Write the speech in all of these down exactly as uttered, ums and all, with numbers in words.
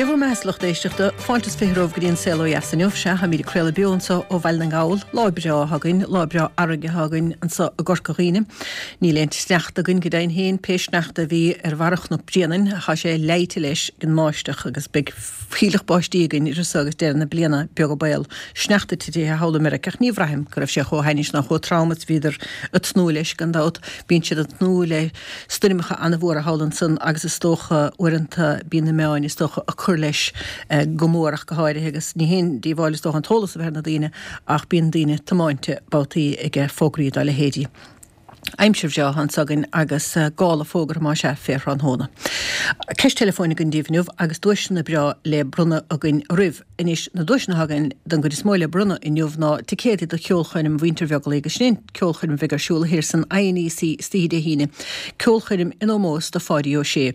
Dia bhur mbeatha, a lucht éisteachta, fáilte is fiche romhaibh go dtí an Saol Ó Dheas inniu. Sea, táimid ag craoladh beo anseo ó Bhaile na nGall. Lá breá atá againn, lá breá fharraige atá againn anseo i gCorca Dhuibhne. Níl aon sneachta againn go deimhin féin, pé sneachta a bhí ar bharra Chnoc Bréanainn, tá sé leáite leis ag an mbáisteach agus beidh fuílleach báistí againn idir seo agus deireadh na bliana, beag an baol. Sneachta titithe thall i Meiriceá ach ní bhraithim go raibh sé chomh hainnis ná chomh trom is a bhíodar ag tnúth leis, gan dabht. Bíonn siad ag tnúth le stoirmeacha an-mhóra thall ansan agus is dócha uaireanta bíonn na meáin is dócha ag cur leis go mór ach go háirithe agus ní haon díobháil is dócha an t-eolas a bheith ar na daoine ach bíonn daoine tiomáinte babhtaí ag fógraí dá leithéidí. Aimsir bhreá atá anso againn agus gála fógartha más ea fé thráthnóna. Ceist teileafóin againn daoibh inniu agus duaiseanna breá le bronnadh againn oraibh. Anois, na duaiseanna atá againn don gcuid is mó le bronnadh inniu ná ticéadaí do cheolchoirm Mhuintir Bheaglaoich agus sin é an ceolchoirm a bheidh ar siúl thiar san INEC istoíche Dé hAoine, ceolchoirm in ómós do Pháidí Ó Sé.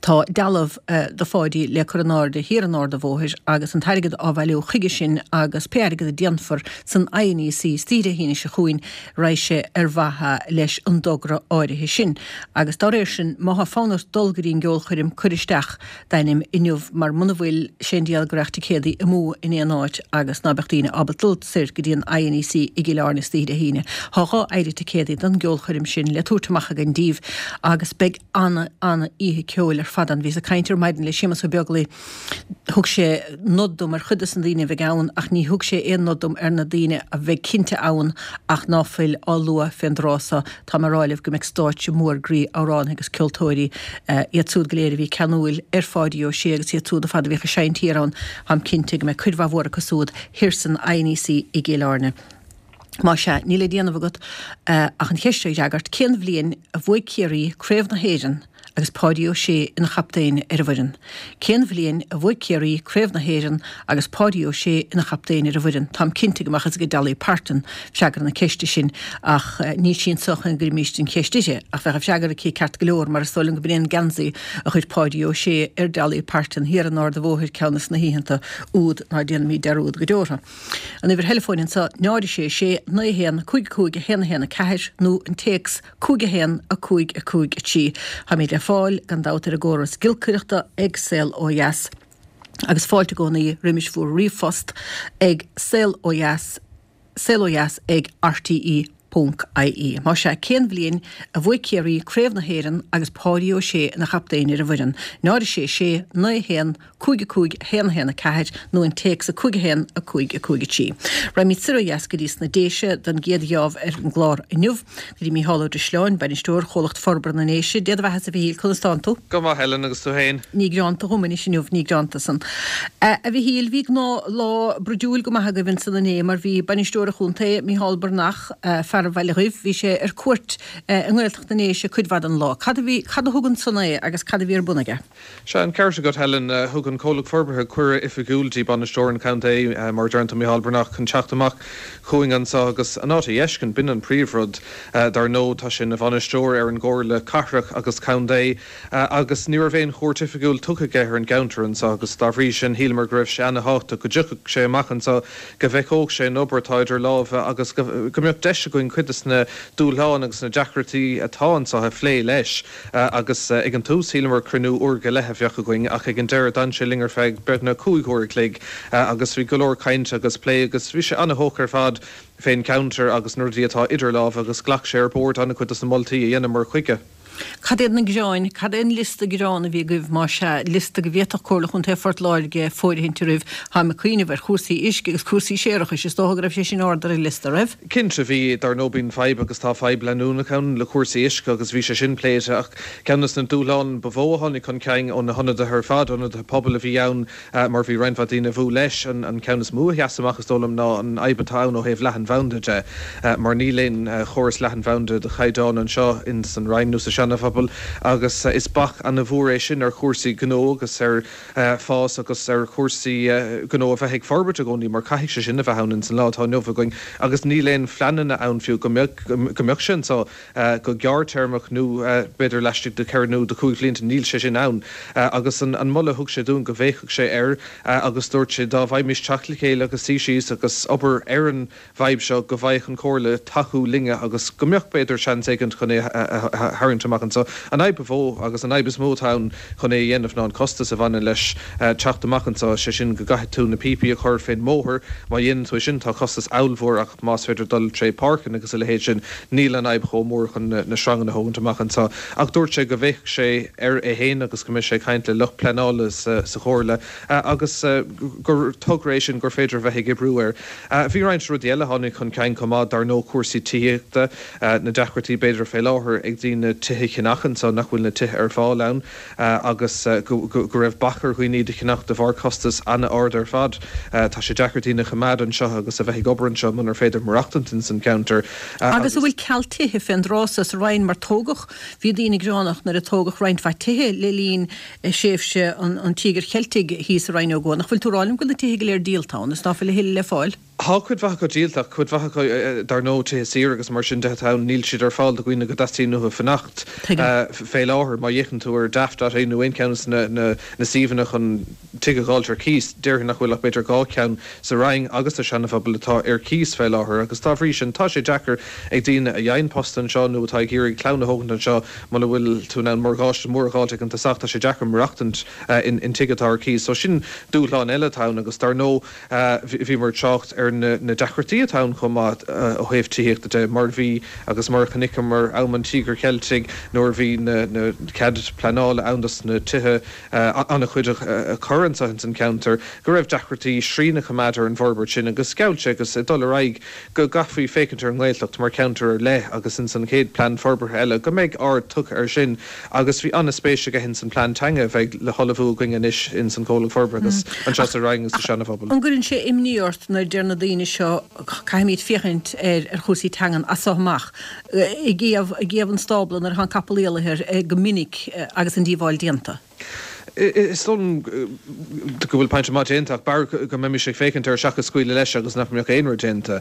Tá dealbh de Pháidí le cur in airde thiar in Ard a' Bhóthair agus an t-airgead á bhailiú chuige sin agus pé airgead a déanfar san INEC istoíche Dé hAoine seo chugainn raghaidh sé ar mhaithe leis an dtogra áirithe sin. Agus dá réir sin, má thá fonn ort dul go dtí an gceolchoirm cuir isteach d'ainm inniu mar muna bhfuil, sé an diabhal go raghadh ticéadaí amú in aon áit agus ná beadh daoine ábalta dul soir go dtí an INEC i gCill Airne istoíche Dé hAoine. Thá dhá phéire ticéadaí don gceolchoirm sin le tabhairt amach againn díbh agus beidh ana, ana oíche ceoil ar fad ann. Bhíos ag caint ar maidin le Séamus Ó Beaglaoi. Thug sé nod dom ar chuid des na daoine a bheidh ann ach ní thug sé aon nod dom ar na daoine a bheidh cinnte ann ach ná fuil á lua fén dtráth so. Tá mé ag rá libh go mbeidh stáitse mór groí amhránaithe agus ceoltóirí, iad súd go léir a bhí ceanúil ar Pháidí Ó Sé agus iad súd ar fad a bhíodh ag seinnt thiar ann, táim cinnte go mbeidh cuid mhaith mhór acu súd thiar san INEC i gCill Airne. Más ea, níl le déanamh agat ach an cheist seo a fhreagairt, cén bhliain a bhuaigh Ciarraí Craobh na hÉireann agus Páidí Ó Sé ina chaptaen ar an bhfoireann? Cén bhliain a bhuaigh Ciarraí Craobh na hÉireann agus Páidí Ó Sé ina chaptaen ar an bhfoireann? Táim cinnte go mbeadh fhios ag Dolly Parton freagra na ceiste sin ach níl sí anseo chun go gcuirfimíst an cheist uirthi ach bheadh an freagra aici ceart go leor mar is dóigh liom go b'in é an geansaí a chuir Páidí Ó Sé ar Dolly Parton thiar in Ard a' Bhóthair ceann des na hoícheanta úd ná déanfaimid dearúd go deo orthu. An uimhir theileafóin anseo, náid a sé sé, naoi a haon, cúig a cúig, a haon a haon a ceathair nó an téacs cúig a haon, a cúig a cúig a trí. Táimid le fáil, gan dabht, ar an gcóras giolcaireachta ag Saol Ó Dheas agus fáilte i gcónaí roimis bhur ríomhphost ag saol ó dheas, saol ó dheas ag rte. Ponc ie. Más ea, cén bhliain a bhuaigh Ciarraí Craobh na hÉireann agus Páidí Ó Sé ina chaptaen ar an bhfoireann? Náid a sé sé, naoi a haon, cúig a cúig, a haon a haon a ceathair nó an téacs a cúig a haon, a cúig a cúig a trí. Raghaimid soir ó dheas go dtí sna Déise don gcéad gheábh ar an gclár inniu, go dtí Mícheál Ó Drisleáin, Bainisteoir Chomhlacht Forbartha na nDéise. Dé do bheathasa, a Mhichíl, conas tánn tú? Go maith, Helen, agus tú féin? Ní greanta dhom anois inniu, ní greanta san. A Mhichíl, bhí gnáth lá bruidiúil go maith agaibh ansan inné mar bhí Bainisteoir an Chontae, Mícheál Breathnach, fear an Bhaile Dhuibh, bhí sé ar cuairt i nGaeltacht na nDéise cuid mhaith den lá. Cad a bhí, cad a thug ansan é agus cad a bhí ar bun aige? Sea, an ceart agat, Helen. Thug an comhlacht forbartha cuireadh oifigiúil dtí Bainisteoir an Chontae, mar a deireann tú, Mícheál Breathnach, chun teacht amach chugainn anso agus an áit a fheiscint. B'in an príomhrud. Dar ndóigh, tá sé ina bhainisteoir ar an gComhairle Cathrach agus Contae agus ní raibh aon chuairt oifigiúil tugtha aige ar an gceantar anso agus dá bhrí sin shíleamar go raibh sé ana-thábhachtach go dtiocfadh sé amach anso, go bhfeiceodh sé an obair atá idir lámha agus go mbeadh deis againn cuid de na dúshláin agus na deacrachtaí atá anso a phlé leis. Agus ag an tús shíleamar cruinniú uair go leith a bheadh againn ach ag an deireadh d'fhan sé linn ar feadh beagnach cúig uair a chloig agus bhí go leor cainte agus plé agus bhí sé ana-thógtha ar fad fén gceantar agus na rudaí atá idir lámha agus ghlac sé ar bord an-chuid de na moltaí a dheineamar chuige. Cad iad na gearáin, cad é an liosta gearán a bhí agaibh, más ea, liosta go bhféadfadh Comhairle Chontae Phort Láirge fóirithint oraibh? Táim ag cuimhneamh ar chúrsaí uisce agus cúrsaí séarachais, is dócha go raibh sé sin ard ar an liosta, raibh? Cinnte, bhí. Dar ndóigh bíonn fadhb agus tá fadhb leanúnach ann le cúrsaí uisce agus bhí sé sin pléite ach ceann de na dúshláin ba mhó a tháinig chun cinn ó na hionadaithe ar fad, ionadaithe pobail a bhí ann, mar bhí roinnt mhaith daoine a bhuail leis. An ceann is mó a sheas amach, is dóigh liom, ná an fhadhb atá ann ó thaobh leathanbhanda de, mar níl aon chóras leathanbhanda de chaighdeán anseo ins an Rinn nó sa Seana-Phobal agus is bac ana-mhór é sin ar chúrsaí gnó agus ar fás agus ar chúrsaí gnó a bheith ag forbairt i gcónaí mar caithfidh sé sin a bheith ann ins an lá atá inniu againn agus níl aon phleananna ann fiú go mbeadh sé anseo. go gearrthéarmach nó b'fhéidir laistigh de cheithre nó de chúig bhlianta, níl sé sin ann. Agus an moladh a thug sé dúinn go bhféachfadh sé air agus dúirt sé dá bhfaighmis teacht le chéile agus suí síos agus obair ar an bhfadhb seo go bhfaigheadh an Chomhairle tacú linne agus go mbeadh b'fhéidir seans éigint chun é a tharraingt amach. amach anseo. An fhadhb ba mhó agus an fhadhb is mó atá ann chun é a dhéanamh ná an costas a bhaineann leis teacht amach anseo, sé sin go gcaithfidh tú na píopaí a chur fén mbóthar, má dhéanann tú é sin tá costas ollmhór ach más féidir dul tré páirceanna agus a leithéid sin níl an fhadhb chomh mór chun na sreanganna a thógaint amach anseo. Ach dúirt sé go bhféachfadh sé air é féin agus go mbeidh sé ag caint le lucht pleanála sa Chomhairle agus gur togra é sin gur féidir a bheith ag oibriú air. Bhí roinnt rudaí eile a tháinig chun cinn chomh maith, dar ndóigh cúrsaí tithíochta, na deacrachtaí b'fhéidir fé láthair ag daoine tithe a cheannach anseo nach bhfuil na tithe ar fáil ann agus go raibh bac ar dhaoine iad a cheannach de bharr costas an-ard ar fad. Tá sé deacair daoine a choimeád anseo agus a bheith ag obair anseo munar féidir maireachtaint ins an gceantar. Agus an bhfuil ceal tithe fén dtráth so sa Rinn mar tógadh, bhí daoine gearánach nuair a tógadh roinnt mhaith tithe le linn thréimhse an Tíogair Cheiltigh thíos sa Rinn Ó gCua. Nach bhfuil tú ag rá liom go bhfuil na tithe go léir díolta ann is ná fuil a thuilleadh le fáil? Tá cuid mhaith acu díolta ach cuid mhaith acu, dar ndóigh, tithe saoire agus mar sin de atá ann, níl siad ar fáil do dhaoine go dteastaíonn uathu fanacht fé láthair. Má fhéachann tú ar Daft dot ie nó aon cheann de na suíomhanna chun tigh a dh'fháilt ar cíos, déarfainn nach bhfuil ach b'fhéidir dhá cheann sa Rinn agus sa Seana-Phobal atá ar cíos fé láthair agus dá bhrí sin tá sé deacair ag daoine a fhaigheann post anseo nó atá ag iarraidh clann a thógaint anseo muna bhfuil tú in ann morgáiste mór a dh'fháilt ag an tosach tá sé deacair maireachtaint in tigh atá ar cíos. So sin dúshlán eile atá ann agus dar ndóigh bhíomar ag trácht ar na deacrachtaí atá ann chomh maith ó thaobh tithíochta de, mar a bhí agus mar a chonaiceamar am an Tíogair Cheiltigh nuair a bhí na cead pleanála ann dos na tithe an-chuid a chur anseo ins an cheantar, go raibh deacrachtaí srian a choimeád ar an bhforbairt sin agus gheall sé agus ag dul ar aghaidh go gcaithfí féachaint ar an nGaeltacht mar cheantar ar leith agus ins an chéad plean forbartha eile go mbeidh aird tugtha air sin agus bhí an-spéis aige ins an plean teanga a bheidh le hullmhú againn anois ins an Chomhlacht Forbartha agus anseo sa Rinn agus sa Seana-Phobal. An gcuireann sé imní ort nuair a deir na daoine seo caithfimid féachaint ar ar chúrsaí teangan as so amach i gcéibh i gcéibh an stábla nuair atá an capall éalaithe ar go minic agus an díobháil déanta? Is dóigh liom go bhfuil pointe maith déanta ach b'fhearr go mbeimis ag féachaint air seachas scaoileadh leis agus nach mbeadh aon rud déanta.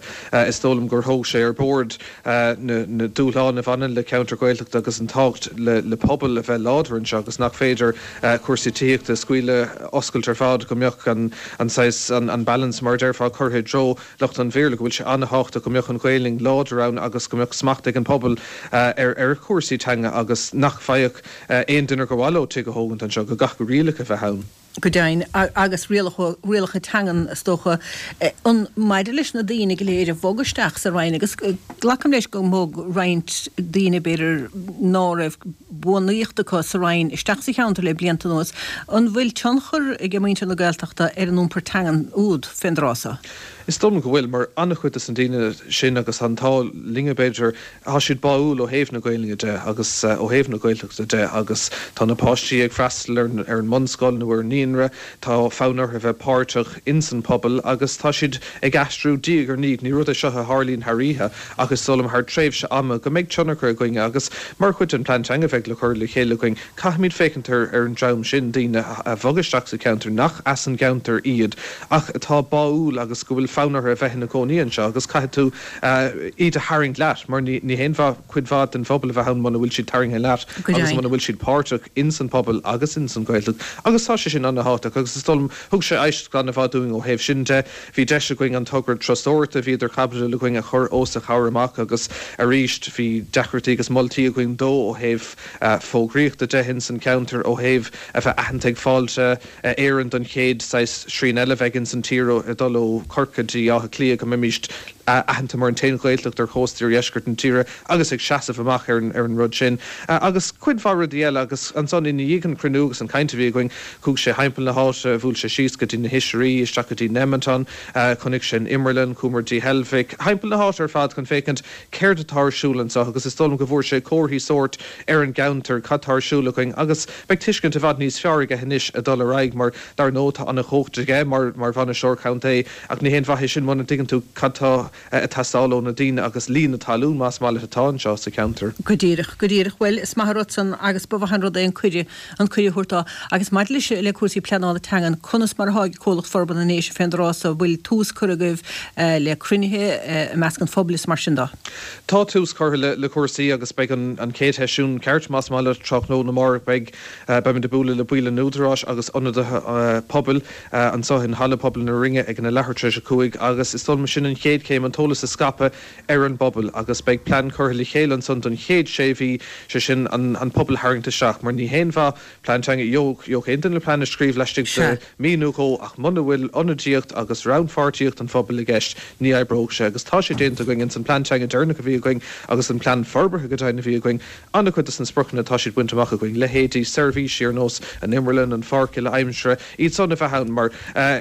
Is dóigh liom gur thóg sé ar bord na dúshláin a bhaineann le ceantar Gaeltachta agus an tábhacht le pobal a bheith láidir anseo agus nach féidir cúrsaí tithíochta a scaoileadh oscailt ar fad, go mbeadh an saghas, an balance mar a déarfá, curtha i dtreo lucht an Bhéarla, go bhfuil sé an-thábhachtach go mbeadh an Ghaelainn láidir ann agus go mbeadh smacht ag an pobal ar chúrsaí teanga agus nach bhfaigheadh aon duine gur mhaith leo tigh a thógaint anseo, go gcaithfeadh rialacha a bheith ann. Go deimhin, agus rialacha teangan, is dócha. An maidir leis na daoine go léir a bhog isteach sa Rinn, agus glacaim leis go mbog roinnt daoine, b'fhéidir, ná raibh bunaíocht acu sa Rinn isteach sa cheantar le blianta anuas, an bhfuil tionchar ag muintir na Gaeltachta ar an iompar teangan úd fén dtráth so? Is dóigh liom go bhfuil, mar an-chuid de na daoine sin agus an t-ádh linne b'fhéidir, tá siad báúil ó thaobh na Gaelainne de agus ó thaobh na Gaeltachta de agus tá na páistí ag freastal ar an mbunscoil nó ar an naíonra, tá fonn orthu a bheith páirteach ins an pobal agus tá siad ag aistriú diaidh ar ndiaidh. Ní rud é seo a tharlaíonn thar oíche ach is dóigh liom thar tréimhse ama go mbeidh tionchar againn agus mar chuid den plean teanga a bheidh le cur le chéile againn, caithfimid féachaint ar an dream sin, daoine a bhog isteach sa cheantar nach as an gceantar iad ach atá báúil agus go bhfuil fonn orthu a bheith ina gcónaí anseo agus caithfidh tú iad a tharraingt leat mar ní haon mhaith cuid mhaith den phobal a bheith ann muna bhfuil siad tarraingthe leat agus muna bhfuil siad páirteach ins an pobal agus ins an Ghaeltacht agus tá sé sin an-thábhachtach agus is dóigh liom thug sé éisteacht an-mhaith dúinn ó thaobh sin de. Bhí deis againn an togra turasóireachta a bhí idir chaibidil againn a chur os a chomhair amach agus arís bhí deacrachtaí agus moltaí againn dó ó thaobh fógraíochta de ins an cheantar, ó thaobh a bheith aitheanta ag Fáilte Éireann don chéad saghas srian eile a bheidh ins an tír ag dul ó Chorcaigh dtí Áth Cliath go mbeimíst aitheanta mar an t-aon Ghaeltacht ar chósta iardheisceart na tíre agus ag seasamh amach ar an rud sin agus cuid mhaith rudaí eile agus ansan i ndiaidh an chruinniú agus an chaint a bhí againn chuaigh sé thimpeall na háite, bhuail sé síos go dtí na hOisrí, isteach go dtí Nemeton, chonaic sé an Imearlann, chuamar dtí Heilbhic, thimpeall na háite ar fad chun féachaint céard atá ar siúl anseo agus is dóigh liom go bhfuair sé comharthaí sóirt ar an gceantar, cad tá ar siúl againn agus beidh tuiscint i bhfad níos fearr aige anois ag dul ar aghaidh mar dar ndóigh tá an-chumhacht aige mar mar bhainisteoir contae ach ní haon mhaith é sin muna dtuigeann tú cad tá ag teastáil ó na daoine agus lí na talún más maith leat atá anseo sa cheantar. Go díreach, go díreach. Bhuel, is maith an rud san agus ba mhaith an rud é an cuireadh, an cuireadh a thabhairt dó. Agus maidir leis, le cúrsaí pleanála teangan, conas mar atá ag Comhlacht Forbartha na nDéise fén dtráth so, bhfuil tús curtha agaibh le cruinnithe i measc an phobail is mar sin de? Tá tús curtha le le cúrsaí agus beidh an an chéad sheisiún ceart, más maith leat, tráthnóna amárach. Beidh, beimid ag bualadh le baill an Údaráis agus ionadaithe pobail anseo in Halla Pobail na Rinne ag an a leathuair tar éis a cúig agus is dóigh liom sin an chéad chéim chéim, an t-eolas a scaipeadh ar an bpobal agus beidh plean curtha le chéile ansan don chéad sé mhí, sé sin an pobal a tharraingt isteach mar ní haon mhaith plean teanga, gheobhaidh aon duine plean a scríobh laistigh de mhí nó dhó ach muna bhfuil ionadaíocht agus rannpháirtíocht an phobail i gceist ní oibreoidh sé agus tá sé déanta againn ins an plean teanga deireanach a bhí againn agus an plean forbartha go deimhin a bhí againn an-chuid de na spriocanna tá siad bainte amach againn, leithéidí seirbhísí ar nós an imrealann, an pháirc uile-aimsire, iad san a bheith ann mar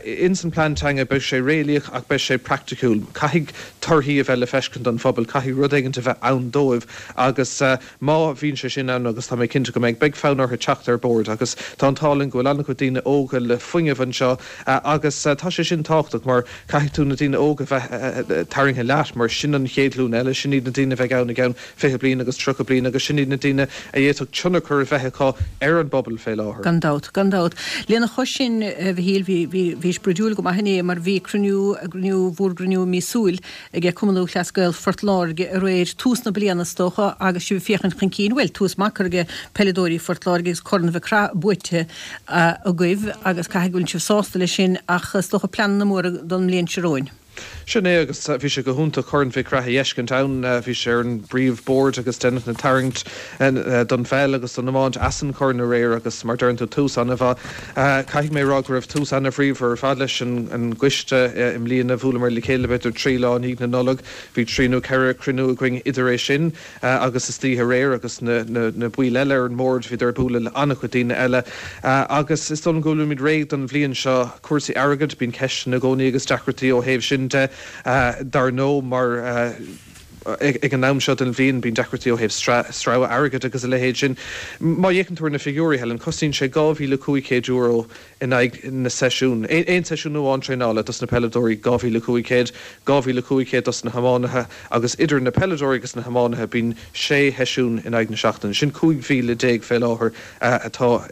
ins an plean teanga beidh sé réalaíoch ach beidh sé praiticiúil. Caithfidh torthaí a bheith le feiscint don phobal, caithfidh rud éigint a bheith ann dóibh agus má bhíonn sé sin ann, agus tá mé cinnte go mbeidh, beidh fonn orthu teacht ar bord agus tá an t-ádh linn go bhfuil an-chuid daoine óga le fuinneamh anseo agus tá sé sin tábhachtach mar caithfidh tú na daoine óga a bheith tarraingthe leat mar sin an chéad ghlúin eile, sin iad na daoine a bheidh ann i gceann fiche bliain agus tríocha bliain agus sin iad na daoine a d'fhéadfadh tionchar a bheith acu ar an bpobal fé láthair. Gan dabht, gan dabht. Lena chois sin, a Mhichíl, bhí, bhí, bhís brúidiúil go maith inné mar bhí cruinniú, cruinniú, bhur gcruinniú míosúil ag Cumann Lúthchleas Gael Phort Láirge aréir, tús na bliana is dócha agus sibh ag féachaint chun cinn, bhuel, tús maith curtha ag peileadóirí Phort Láirge agus Corn Mhic Craith buaite agaibh agus caithfidh go bhfuil sibh sásta leis sin ach is dócha pleananna móra don mbliain seo romhainn. Sin é agus bhí sé go hiontach Corn Mhic Craith a fheiscint ann. Bhí sé ar an bpríomh bord agus deineadh na tarraingt don pheil agus don iomáint as an chorn aréir agus mar deireann tú tús an-mhaith. Caithfidh mé a rá go raibh tús an-bhríomhar ar fad leis an gcoiste i mbliana. Bhuaileamar le chéile b'fhéidir trí lá i ndiaidh na Nollag. Bhí trí nó ceithre cruinniú againn idir é sin agus istoíche aréir agus na na baill eile ar an mbord bhíodar ag bualadh le an-chuid daoine eile agus is dóigh liom go bhfuilimid réidh don bhliain seo. Cúrsaí airgid, bíonn ceisteanna i gcónaí agus deacrachtaí ó thaobh sin de dar ndóigh mar ag an am seo den bhliain bíonn deacrachtaí ó thaobh sreabhadh airgid agus a leithéid sin. Má fhéachann tú ar na figiúirí, Helen, cosnaíonn sé dhá mhíle cúig chéad euro in aghaidh na seisiún. Aon seisiún amháin traenála dos na peileadóirí, dhá mhíle cúig chéad, dhá mhíle cúig chéad dos na hiománaithe agus idir na peileadóirí agus na hiománaithe bíonn sé sheisiún in aghaidh na seachtaine. Sin cúig mhíle déag fé láthair atá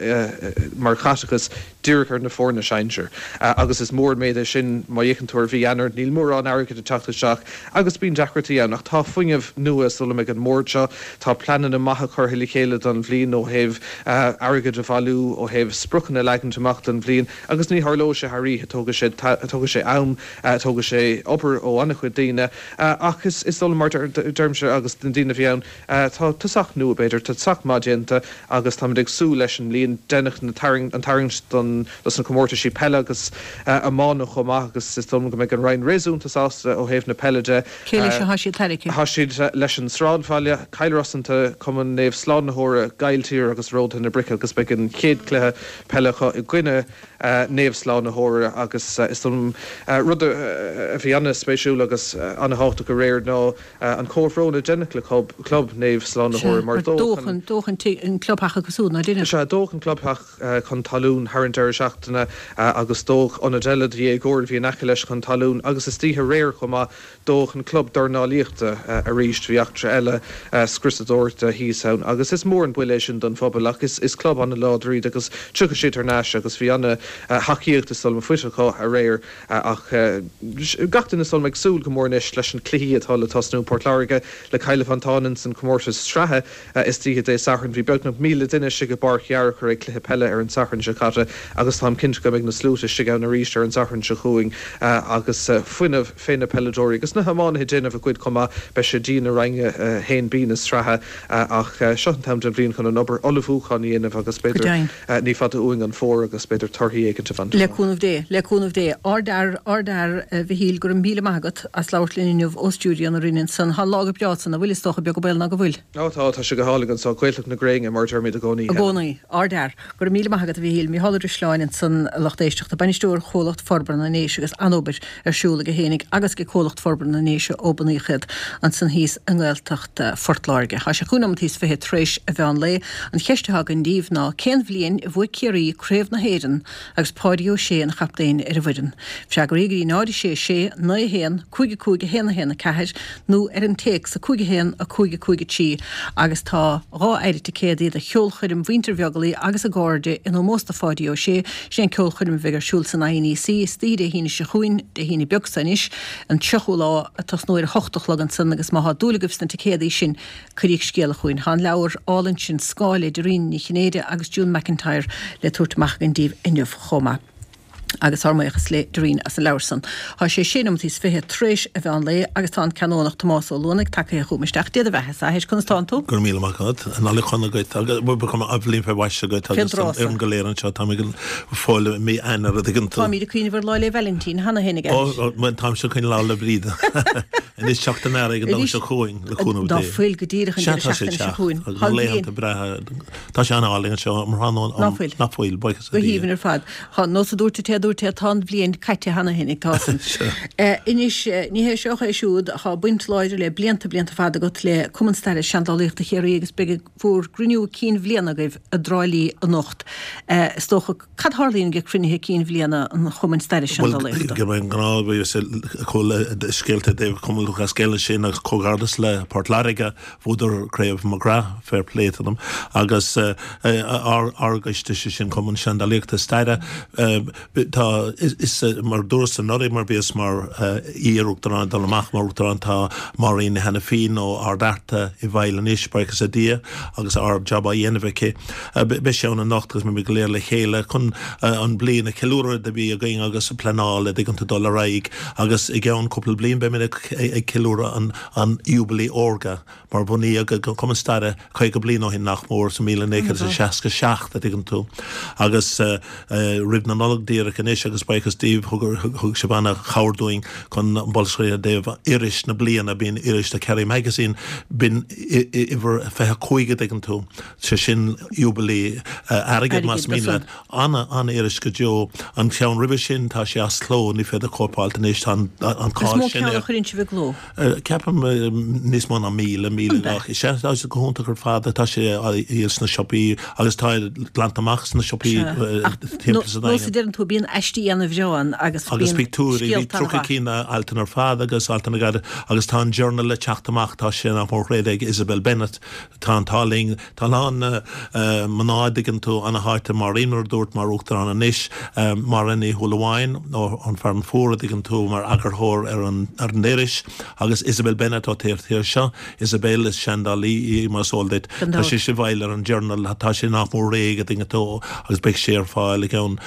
mar chaiteachas díreach ar na foirne sinsir. Agus is mór an méid é sin má fhéachann tú ar mhí Eanáir, níl mórán airgid ag teacht isteach agus bíonn deacrachtaí ann. Ach tá fuinneamh nua is dóigh liom ag an mbord seo. Tá pleananna maithe curtha le chéile don bhliain ó thaobh airgead a bhailiú, ó thaobh spriocanna a leagaint amach don bhliain agus ní tharlóidh sé thar oíche, tógfaidh sé, tógfaidh sé am, tógfaidh sé obair ó an-chuid daoine. Ach is dóigh liom, mar deirimse agus na daoine a bhí ann, tá tosach nua b'fhéidir, tá tosach maith déanta agus táimid ag súil leis an mbliain. Deineadh na tarraing, an tarraingt don, dos na comórtaisí peile agus iomána chomh maith agus is dóigh liom go mbeidh an Roinn réasúnta sásta ó thaobh na peile de. Cé leis atá siad tarraingthe? Tá siad leis an Sráidbhaile, Cill Rosanta, Cumann Naomh Slánaitheora, Gailltír agus Ródaithe na Brice agus beidh an chéad chluiche peile acu i gcoinne Naomh Slánaitheora agus is dóigh liom rud a bhí an-spéisiúil agus an-thábhachtach aréir ná an comhbhrón a deineadh le club Naomh Slánaitheora mar dódh an dódh an clubtheach acu siúd, ná deineadh? Sea, dódh an clubtheach chun talún thar an deireadh seachtaine agus dódh ionad eile do dhéagóirí a bhí in aice leis chun talún agus istoíche aréir chomh maith dódh an club dornálaíochta arís. Bhí eachtra eile scriosadóireachta thíos ann agus is mór an buille é sin don phobal ach is club an-láidir iad agus tiocfaidh siad thar n-ais agus bhí an-thacaíocht is dóigh liom faighte acu aréir ach gach duine is dóigh liom ag súil go mór anois leis na cluichí atá le tosnú. Port Láirge le Cill Mhantáin ins an comórtas sraithe istoíche Dé Sathairn. Bhí beagnach míle duine istigh i bPáirc Fhearchair ag cluiche peile ar an Satharn seo caite agus táim cinnte go mbeidh na sluaite istigh ann arís ar an Satharn seo chugainn agus fuinneamh fé na peileadóirí agus na hiománaithe ag déanamh a gcuid chomh maith. Beidh sé dian i Roinn a haon B na sraithe ach seo an t-am den bhliain chun an obair ullmhúcháin a dhéanamh agus b'fhéidir ní fada uainn an fómhar agus b'fhéidir torthaí éigint a bhaint Le cúnamh Dé, le cúnamh Dé. Ardfhear, ardfhear, a Mhichíl, go raibh míle maith agat as labhairt linn inniu ó stiúideo na Rinne ansan. Tá an lá go breá ansan, an bhfuil, is dócha, beag an baol ná go bhfuil. Ó tá, tá sé go hálainn anso, Gaeltacht na gréine mar a deirimid i gcónaí. I gcónaí. Ardfhear. Go raibh míle maith agat a Mhichíl. Micheál Ó Drisleáin ansan, a lucht éisteachta, Bainisteoir Chomhlacht Forbartha na nDéise agus an-obair ar siúl aige fhéinig agus ag Comhlacht Forbartha na nDéise ó bunaíodh iad ansan thíos i nGaeltacht Phort Láirge. Tá sé cúig nóimeataí is fiche tar éis a mheán lae. An cheist atá againn daoibh ná cén bhliain a bhuaigh Ciarraí Craobh na hÉireann agus Páidí Ó Sé ina chaptaen ar an bhfoireann? Freagraí go dtí náid a sé sé, naoi a haon, cúig a cúig a haon a haon a ceathair nó ar an téacs a cúig a haon a cúig a cúig a trí agus tá dhá phéire ticéadaí do cheolchoirm Mhuintir Bheaglaoich agus a gcairde in ómós do Pháidí Ó Sé. Sin é an ceolchoirm a bheidh ar siúl san I N E C istoíche Dé hAoine seo chugainn, Dé hAoine beag seo anois, an tríochú lá, ag tosnú ar a hocht a chlog ansan agus má thá dúil agaibh sna ticéadaí sin, cuiríg scéala chugainn. Tá an leabhar álainn sin Scáil le Doireann Ní Chinnéide agus June McIntyre le tabhairt amach againn daoibh inniu chomh maith. Agus ár mbuíochas le Doreen as an leabhar san. Tá sé sé nóiméad is fiche tar éis an mheán lae agus tá an Canónach Tomás Ó Luanaigh tagtha chugam isteach. Dia do bheatha, a athair, conas tánn tú? Go raibh míle maith agat. An Nollaig shona duit agus bhliain fé mhaise duit agus don fhoireann go léir anseo. Táimid ag fáil i mí Eanáir a dtuigeann tú. Táimid ag cuimhneamh ar Lá 'le Vailintín cheana féin ag Ó, bhuel táimse ag cuimhneamh Lá 'le Bríde. Anois teacht an earraigh an Domhnach seo chugainn le cúnamh Dá Dé. fuil go díreach an Sea, deireadh tá sé seachtaine ag seo teacht chugainn. agus Tá na an bhliain. laethanta breátha. Tá sé an-álainn anseo um thráthnóna Ná um fuil. Ná fuil, buíochas Go le Dia. haoibhinn ar fad. Tá nós a dúirt an té a dúirt é, tá an bhliain caite cheana féin ag tá san. Anois, ní hé seo é siúd, tá baint láidir le blianta blianta fada agat le Cumann Staire is Seandálaíochta Chiarraí agus beidh bhur gcruinniú cinn bhliana agaibh i dTrá Lí anocht. Is dócha, cad tharlaíonn ag cruinnithe cinn bhliana an Chumainn Staire is Bhuel, Seandálaíochta? go mbeidh an gnáth, bhí sé chuala scéalta i dtaobh Cumann Lúthchleas Gael ansin agus comhghairdeas le Port Láirge, bhuadar Craobh McGrath, fair play to them, agus ár ár gcoiste, sé sin Cumann Seandálaíochta Staire, tá, is mar dúras anuraidh mar bhíos mar iar-uachtarán ag dul amach mar uachtarán tá Máirín Ní Hainifín ó Ard Fhearta i bhfeighil anois, buíochas le Dia, agus ard-jab á dhéanamh aici. Beidh sé ann anocht agus beimid go léir le chéile chun an bliain a cheiliúradh a bhí againn agus pleanáil a dtuigeann tú dul ar aghaidh agus i gceann cúpla bliain beimid ag ceiliúradh an an Iúbailí Órga mar bunaíodh an Cumann Staire caoga bliain ó shin nach mór sa míle naoi chéad is a seasca seacht a dtuigeann tú agus roimh na Nollag díreach anois agus buíochas daoibh thug sibh ana-chabhair dúinn chun an bolscaireacht i dtaobh iris na bliana, bíonn iris The Kerry Magazine, b'in uimhir fiche cúig a dtuigeann tú, sé sin Iúbailí Airgid más mian leat. Ana, ana-iris go deo. An ceann roimhe sin tá sé as cló, ní féidir cóip a fháilt anois, tá an Is cáil mó sin ceann a air. chuireann sibh i gcló? Ceapaim níos mó ná míle, míle An ea? gach. Sea, tá sé go hiontach ar fad, tá sé á dhíol sna siopaí agus tá glanta amach sna siopaí Sea. Ach timpeall sa nós a Daingean. deireann tú, bíonn aistí ana-bhreá ann agus Agus bíonn pictiúirí, bhí scéalta tríocha ana-mhaith. cinn altanna ar fad agus altanna gairid agus tá an Journal le teacht amach, tá sé nach mór réidh ag Isabel Bennett, tá an t-ádh linn, tá a lán mná a dtuigeann tú, ana-tháite Máirín mar a dúirt mar uachtarán anois, Máire Ní Shúilleabháin ó An Fearann Fuar a dtuigeann tú mar eagarthóir ar an ar an iris agus Isabel Bennett ó taobh thiar seo, Isabel is seandálaí í mar is eol duit, Gan tá dabht. sí i bhfeighil ar an Journal, tá sé nach mór réidh a dtuigeann tú agus beidh sé ar fáil i gceann,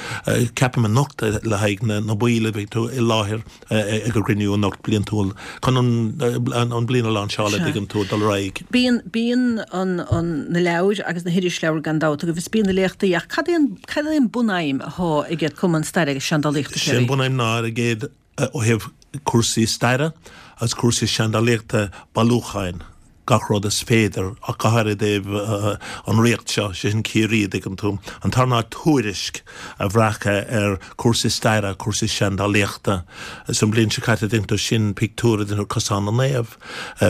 ceapaim anocht le haghaidh na na baill a bheidh tú i láthair ag an gcruinniú anocht bliantúil chun an an bliain a láinseáil a dtuigeann tú dul ar aghaidh. Bíonn bíonn an an na leabhair agus na hirisleabhair gan dabht agaibh is bíonn na léachtaí ach cad é an cad é an bunaidhm atá ag Cumann Staire agus Seandálaíochta Sé an Chiarraí? bunaidhm ná ar a gcéad ó thaobh cúrsaí staire agus cúrsaí seandálaíochta bailiúcháin gach rud is féidir ach go háirithe i dtaobh an ríocht seo, sé sin Ciarraí, a dtuigeann tú. An tarna ná tuairisc a bhreacadh ar cúrsaí staire, cúrsaí seandálaíochta. San bliain seo caite, a dtuigeann tú, sin pictiúr a dtuigeann tú, Cosán na Naomh,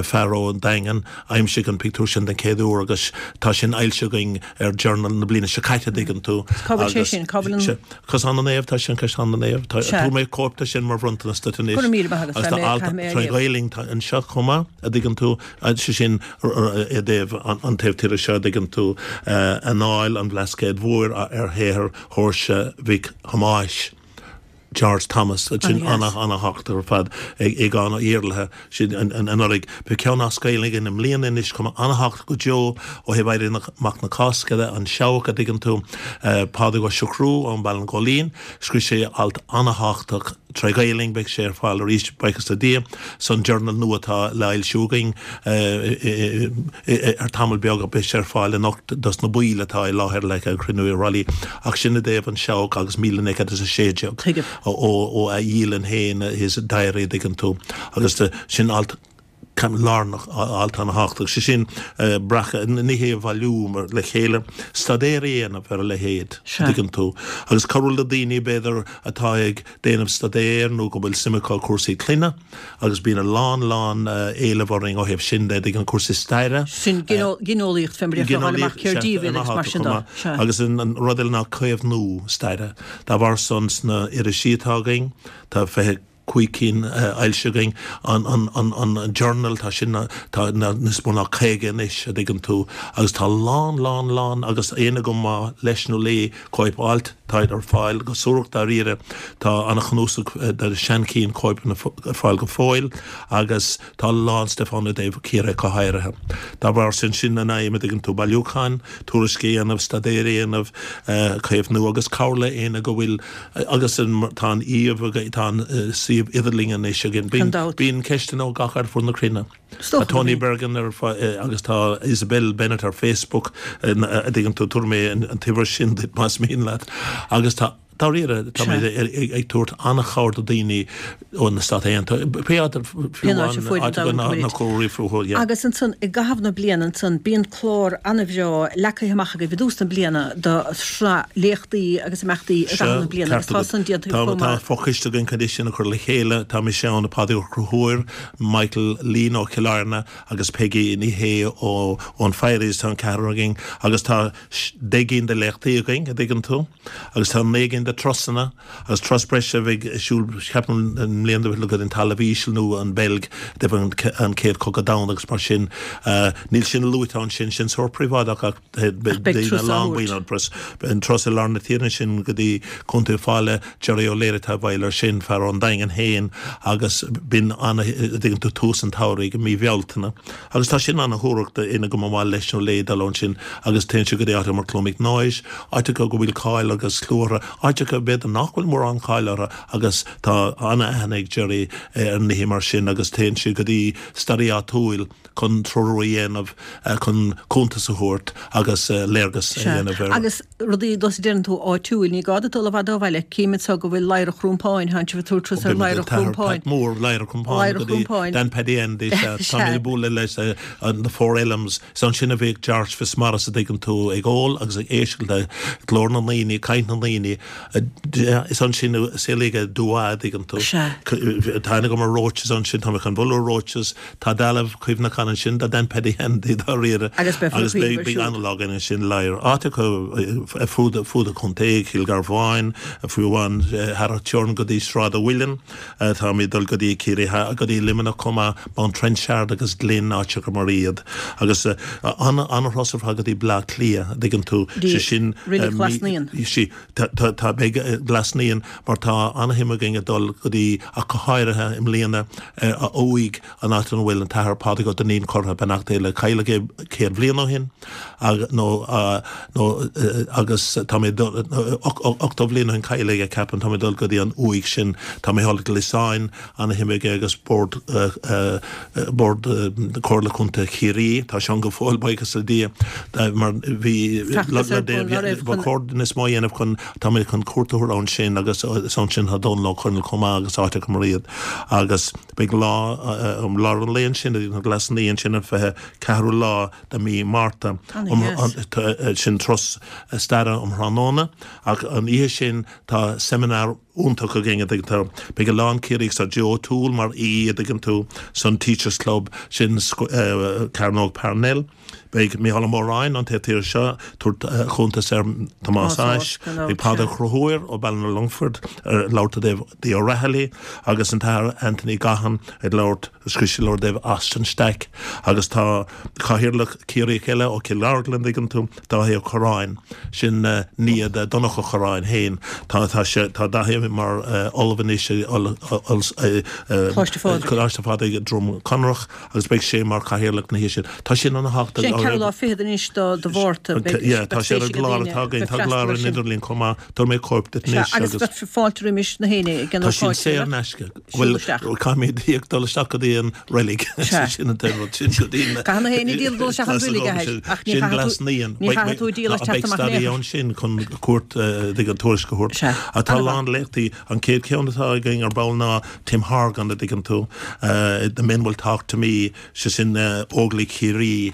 fear ón Daingean, aimsigh an pictiúr sin den chéad uair agus tá sin fhoilsithe againn ar Journal na bliana seo caite, a dtuigeann tú. Cá bhfuil sé Agus sin? Cá bhfuil an. Cosán na Naomh, tá sin Caisleán na Naomh. Tá, Sea. tabharfaidh mé cóip de sin mar bhronntanas duit anois. Go raibh míle maith agat, Agus beidh tá mé, alt caithfidh mé a tré léamh. Ghaelainn tá anseo chomh maith, a dtuigeann tú, sé sin i dtaobh an taobh tíre seo, a dtuigeann tú, anáil an Bhlascaoid Mhóir ar shaothar Sheoirse Mhic Thomáis. George Thomas, sin Ana dheas. ana ana-thábhachtach ar fad ag Aogán Ó Iarlaithe, sin anuraidh. Beidh ceann as Gaeilge againn i mbliana anois chomh maith, ana-thábhachtach go deo ó thaobh Éirí Amach na Cásca de, an Seabhac, a dtuigeann tú, Pádraig Ó Siochrú ón Baile an Ghóilín, scríobh sé alt ana-thábhachtach tré Ghaelainn, beidh sé ar fáil arís, buíochas le Dia, san Journal nua atá le fhoilsiú againn ar tamall beag, beidh sé ar fáil anocht dos na baill atá i láthair le an cruinniú i Thrá Lí, ach sin i dtaobh an Seabhac agus míle naoi gcéad is a sé déag. Tuigim. Ó a dhialann féin, his diary, a dtuigeann tú, agus sin alt lárnach, alt ana-thábhachtach, sé sin breacadh, ní hé a bhailiú mar le chéile, staidéar a dhéanamh ar a leithéid, Sea. tuigeann tú, agus cabhrú le daoine, b'fhéidir, atá ag déanamh staidéir nó go bhfuil suim acu i cúrsaí clainne, agus bíonn a lán, lán éileamh orainn ó thaobh sin de, tuigeann, cúrsaí staire. Sin gineolaíocht fé mar a déarfá, fáil amach Gineolaíocht, cér sea, díobh iad agus mar ana-thábhachtach sin chomh de. maith. Sea. Agus an rud eile ná caomhnú staire. Dá bharr san sna irisí atá againn, tá fiche cúig cinn fhoilsithe againn, an, an, an, an Journal, tá sin, tá níos mó ná caoga anois, a dtuigeann tú, agus tá lán, lán, lán, agus éinne go mba leis nó léi cóip a fháilt, Táid ar fáil go suarach dáiríre. Tá an-chnuasach de seanchinn cóipeanna ar fáil go fóill agus tá a lán stuif ann i dtaobh Ciarraí go háirithe. Dá bharr sin, sin an aidhm a dtuigeann tú, bailiúchán, tuairisc a dhéanamh, staidéar a dhéanamh, caomhnú agus cabhair le éinne go bhfuil agus tá an iamh, tá an suíomh idirlín anois againn. Bíonn ceisteanna ó gach aird fud na cruinne. Tá Tony Bergin ar agus tá Isabel Bennett ar Facebook, a dtuigeann tú, tabharfaidh mé an t-uimhir sin duit más mian leat. Agus tá, dáiríre, tá mé ag tabhairt an-chabhair do daoine ó na Stáit Aontaithe, pé áit ar fiú amháin, áit a bhfuil na comharthaí fúthu, yeah. Agus ansan, i gcaitheamh na bliana ansan, bíonn clár an-bhreá leagtha amach agaibh i dtús na bliana do shraith léachtaí agus imeachtaí i gcaitheamh na bliana agus tá san déanta chomh maith. Tá fochoiste againn chun é sin a chur le chéile. Tá mise ann, Pádraig Ó Conchúir, Michael Leen ó Chill Airne agus Peggy Ní Shé ó ón Firies, tá an ceathrar againn agus tá deich gcinn de léachtaí againn, a dtuigeann tú, agus tá naoi gcinn de turasanna agus turas breise a bheidh ar siúl, ceapaim, i mbliana go dtí an Talamh Íseal nó an Bheilg roimh an Chéad Chogadh Domhanda agus mar sin. Níl sin luaite ansin, sin sórt príobháideach ach beidh daoine lán buíon an turas i lár na tíre ansin go dtí Contae Uíbh Fhailí, Jerry O'Leary atá i bhfeighil air sin, fear ón Daingean féin agus b'in an, a dtuigeann tú, tús an tsamhraidh i mí Bhealtaine. Agus tá sin ana-shuarach d'éinne go mba mhaith leis nó léi dul ansin agus téann sé go dtí áiteacha mar Clonmacnoise, áiteacha go bhfuil cáil agus clú orthu, áiteacha b'fhéidir nach bhfuil mórán cáil orthu agus tá ana-aithne ag Jerry ar nithe mar sin agus téann sé go dtí staraí áitiúil chun treorú a dhéanamh, chun cuntas a thabhairt agus léargas a dhéanamh ar. Agus rudaí dos a deireann tú áitiúil, ní gá duit dul i bhfad ó bhaile, cím anseo go bhfuil Ladhar Chrumpáin, tánn sibh ag tabhairt turas ar Ladhar Chrumpáin. Pat Mór, Ladhar Chrumpáin go dtí Dan Paddy Andy, sea, tá mé ag bualadh leis an The Four Elms, is ansin a bhíodh George Fitzmaurice a dtuigeann tú, ag ól agus ag éisteacht le glór na ndaoine, caint na ndaoine, is ansin a saolaíodh Duagh a dtuigeann tú. Tá aithne agam ar Roches ansin, tá mé chun bualadh ar Roches, tá dealbh cuimhneacháin ansin do Dan Paddy Andy dáiríre Agus beidh agus beidh beidh an-lá againn ansin Ladhar. Áiteacha ar fud fud an chontae, Cill Gharbháin, fiú amháin thar an teorainn go dtí Sráid an Mhuilinn, táimid ag dul go dtí Ciarraí Theas, go dtí Luimneach chomh maith, Mount Trenchard agus Glynn, áiteacha mar iad. Agus an-thuras ar fad go dtí Bleá Cliath, a dtuigeann tú, sé sin Reilig Ghlas Naíon. Sí, tá, beidh Glas Naíon mar tá an-shuim againn ag dul go dtí, ach go háirithe i mbliana, a uaigh, an áit ina bhfuil an tAthair Pádraig Ó Duinnín curtha, beannacht Dé leis, cailleadh é céad bhliain ó shin, nó, nó agus tá mé ag dul, ochtó bhliain ó shin cailleadh é, ceapaim, tá mé ag dul go dtí an uaigh sin, tá mé ag dul go Liosáin, Ana-shuim aige agus Bord Bord Comhairle Contae Chiarraí, tá sé ann go fóill, buíochas le Dia, mar bhí Feachtas ar bun ná raibh ba chun. chóir níos mó a dhéanamh chun, tá mé chun cuairt a thabhairt ansin agus is ansin tá Dónal Ó Conaill chomh maith agus áiteacha mar iad agus beidh lá um lár an lae ansin i nGlas Naíon sin an fiche ceathrú lá de mí Márta um Ana-dheas. sin turas staire um thráthnóna ach an oíche sin tá seimineár iontach againn, a dtuigeann tú. Beidh a lán Ciarraíoch, tá Joe O'Toole mar aoi, a dtuigeann tú, san Teachers Club sin Cearnóg Parnell. Beidh Mícheál Ó Móráin ón taobh thiar seo tabhairt cuntas ar Tomás Ashe. Beidh Pádraig Ó Conchúir ó Ballina-Longford ag labhairt i dtaobh The O'Rahilly agus an tAthair Anthony Gaughan ag labhairt, scríobh sé leabhar i dtaobh Austin Stack agus tá cathaoirleach Ciarraíoch eile ó Chill Orglan, an dtuigeann tú, Dáithí Ó Corráin, sin nia de Donncha Ó Corráin féin. Tá tá sé tá Dáithí mar ollamh anois i Coláiste Phádraig. Coláiste Phádraig i Droim Conrach agus beidh sé mar chathaoirleach na hoíche sin. Tá sin ana thábhachtach. Sin ceathrú lá fichead anois de de Mhárta. Beidh Yeah, tá beidh sé ar spéis an ag gclár daoine atá againn, bheith tá freastal clár air ar an sin. idirlíon chomh maith. Tabharfaidh mé cóip duit Sea, anois agus agus beidh fáilte roimis na héinne ag an Tá sin ócáid saor sin, in aisce. siúl Bhuel, isteach. caithfimid íoc dul isteach go dtí an reilig. Sea. Sin an t-aon rud sin go dtí na Caithfidh na héinne díol dul isteach an reilig, a athair, ach ní Sin chaithfidh Glas tú Naíon. ní chaithfidh tú díol as Beidh teacht amach in staraí aon chor. ann sin chun cuairt ag an tuairisc a thabhairt. Sea. Tá a Ana-mhaith. lán léachtaí. An chéad cheann atá againn ar ball ná Tim Horgan a dtuigeann tú, The Men Will Talk to Me, sé sin Óglaigh Chiarraí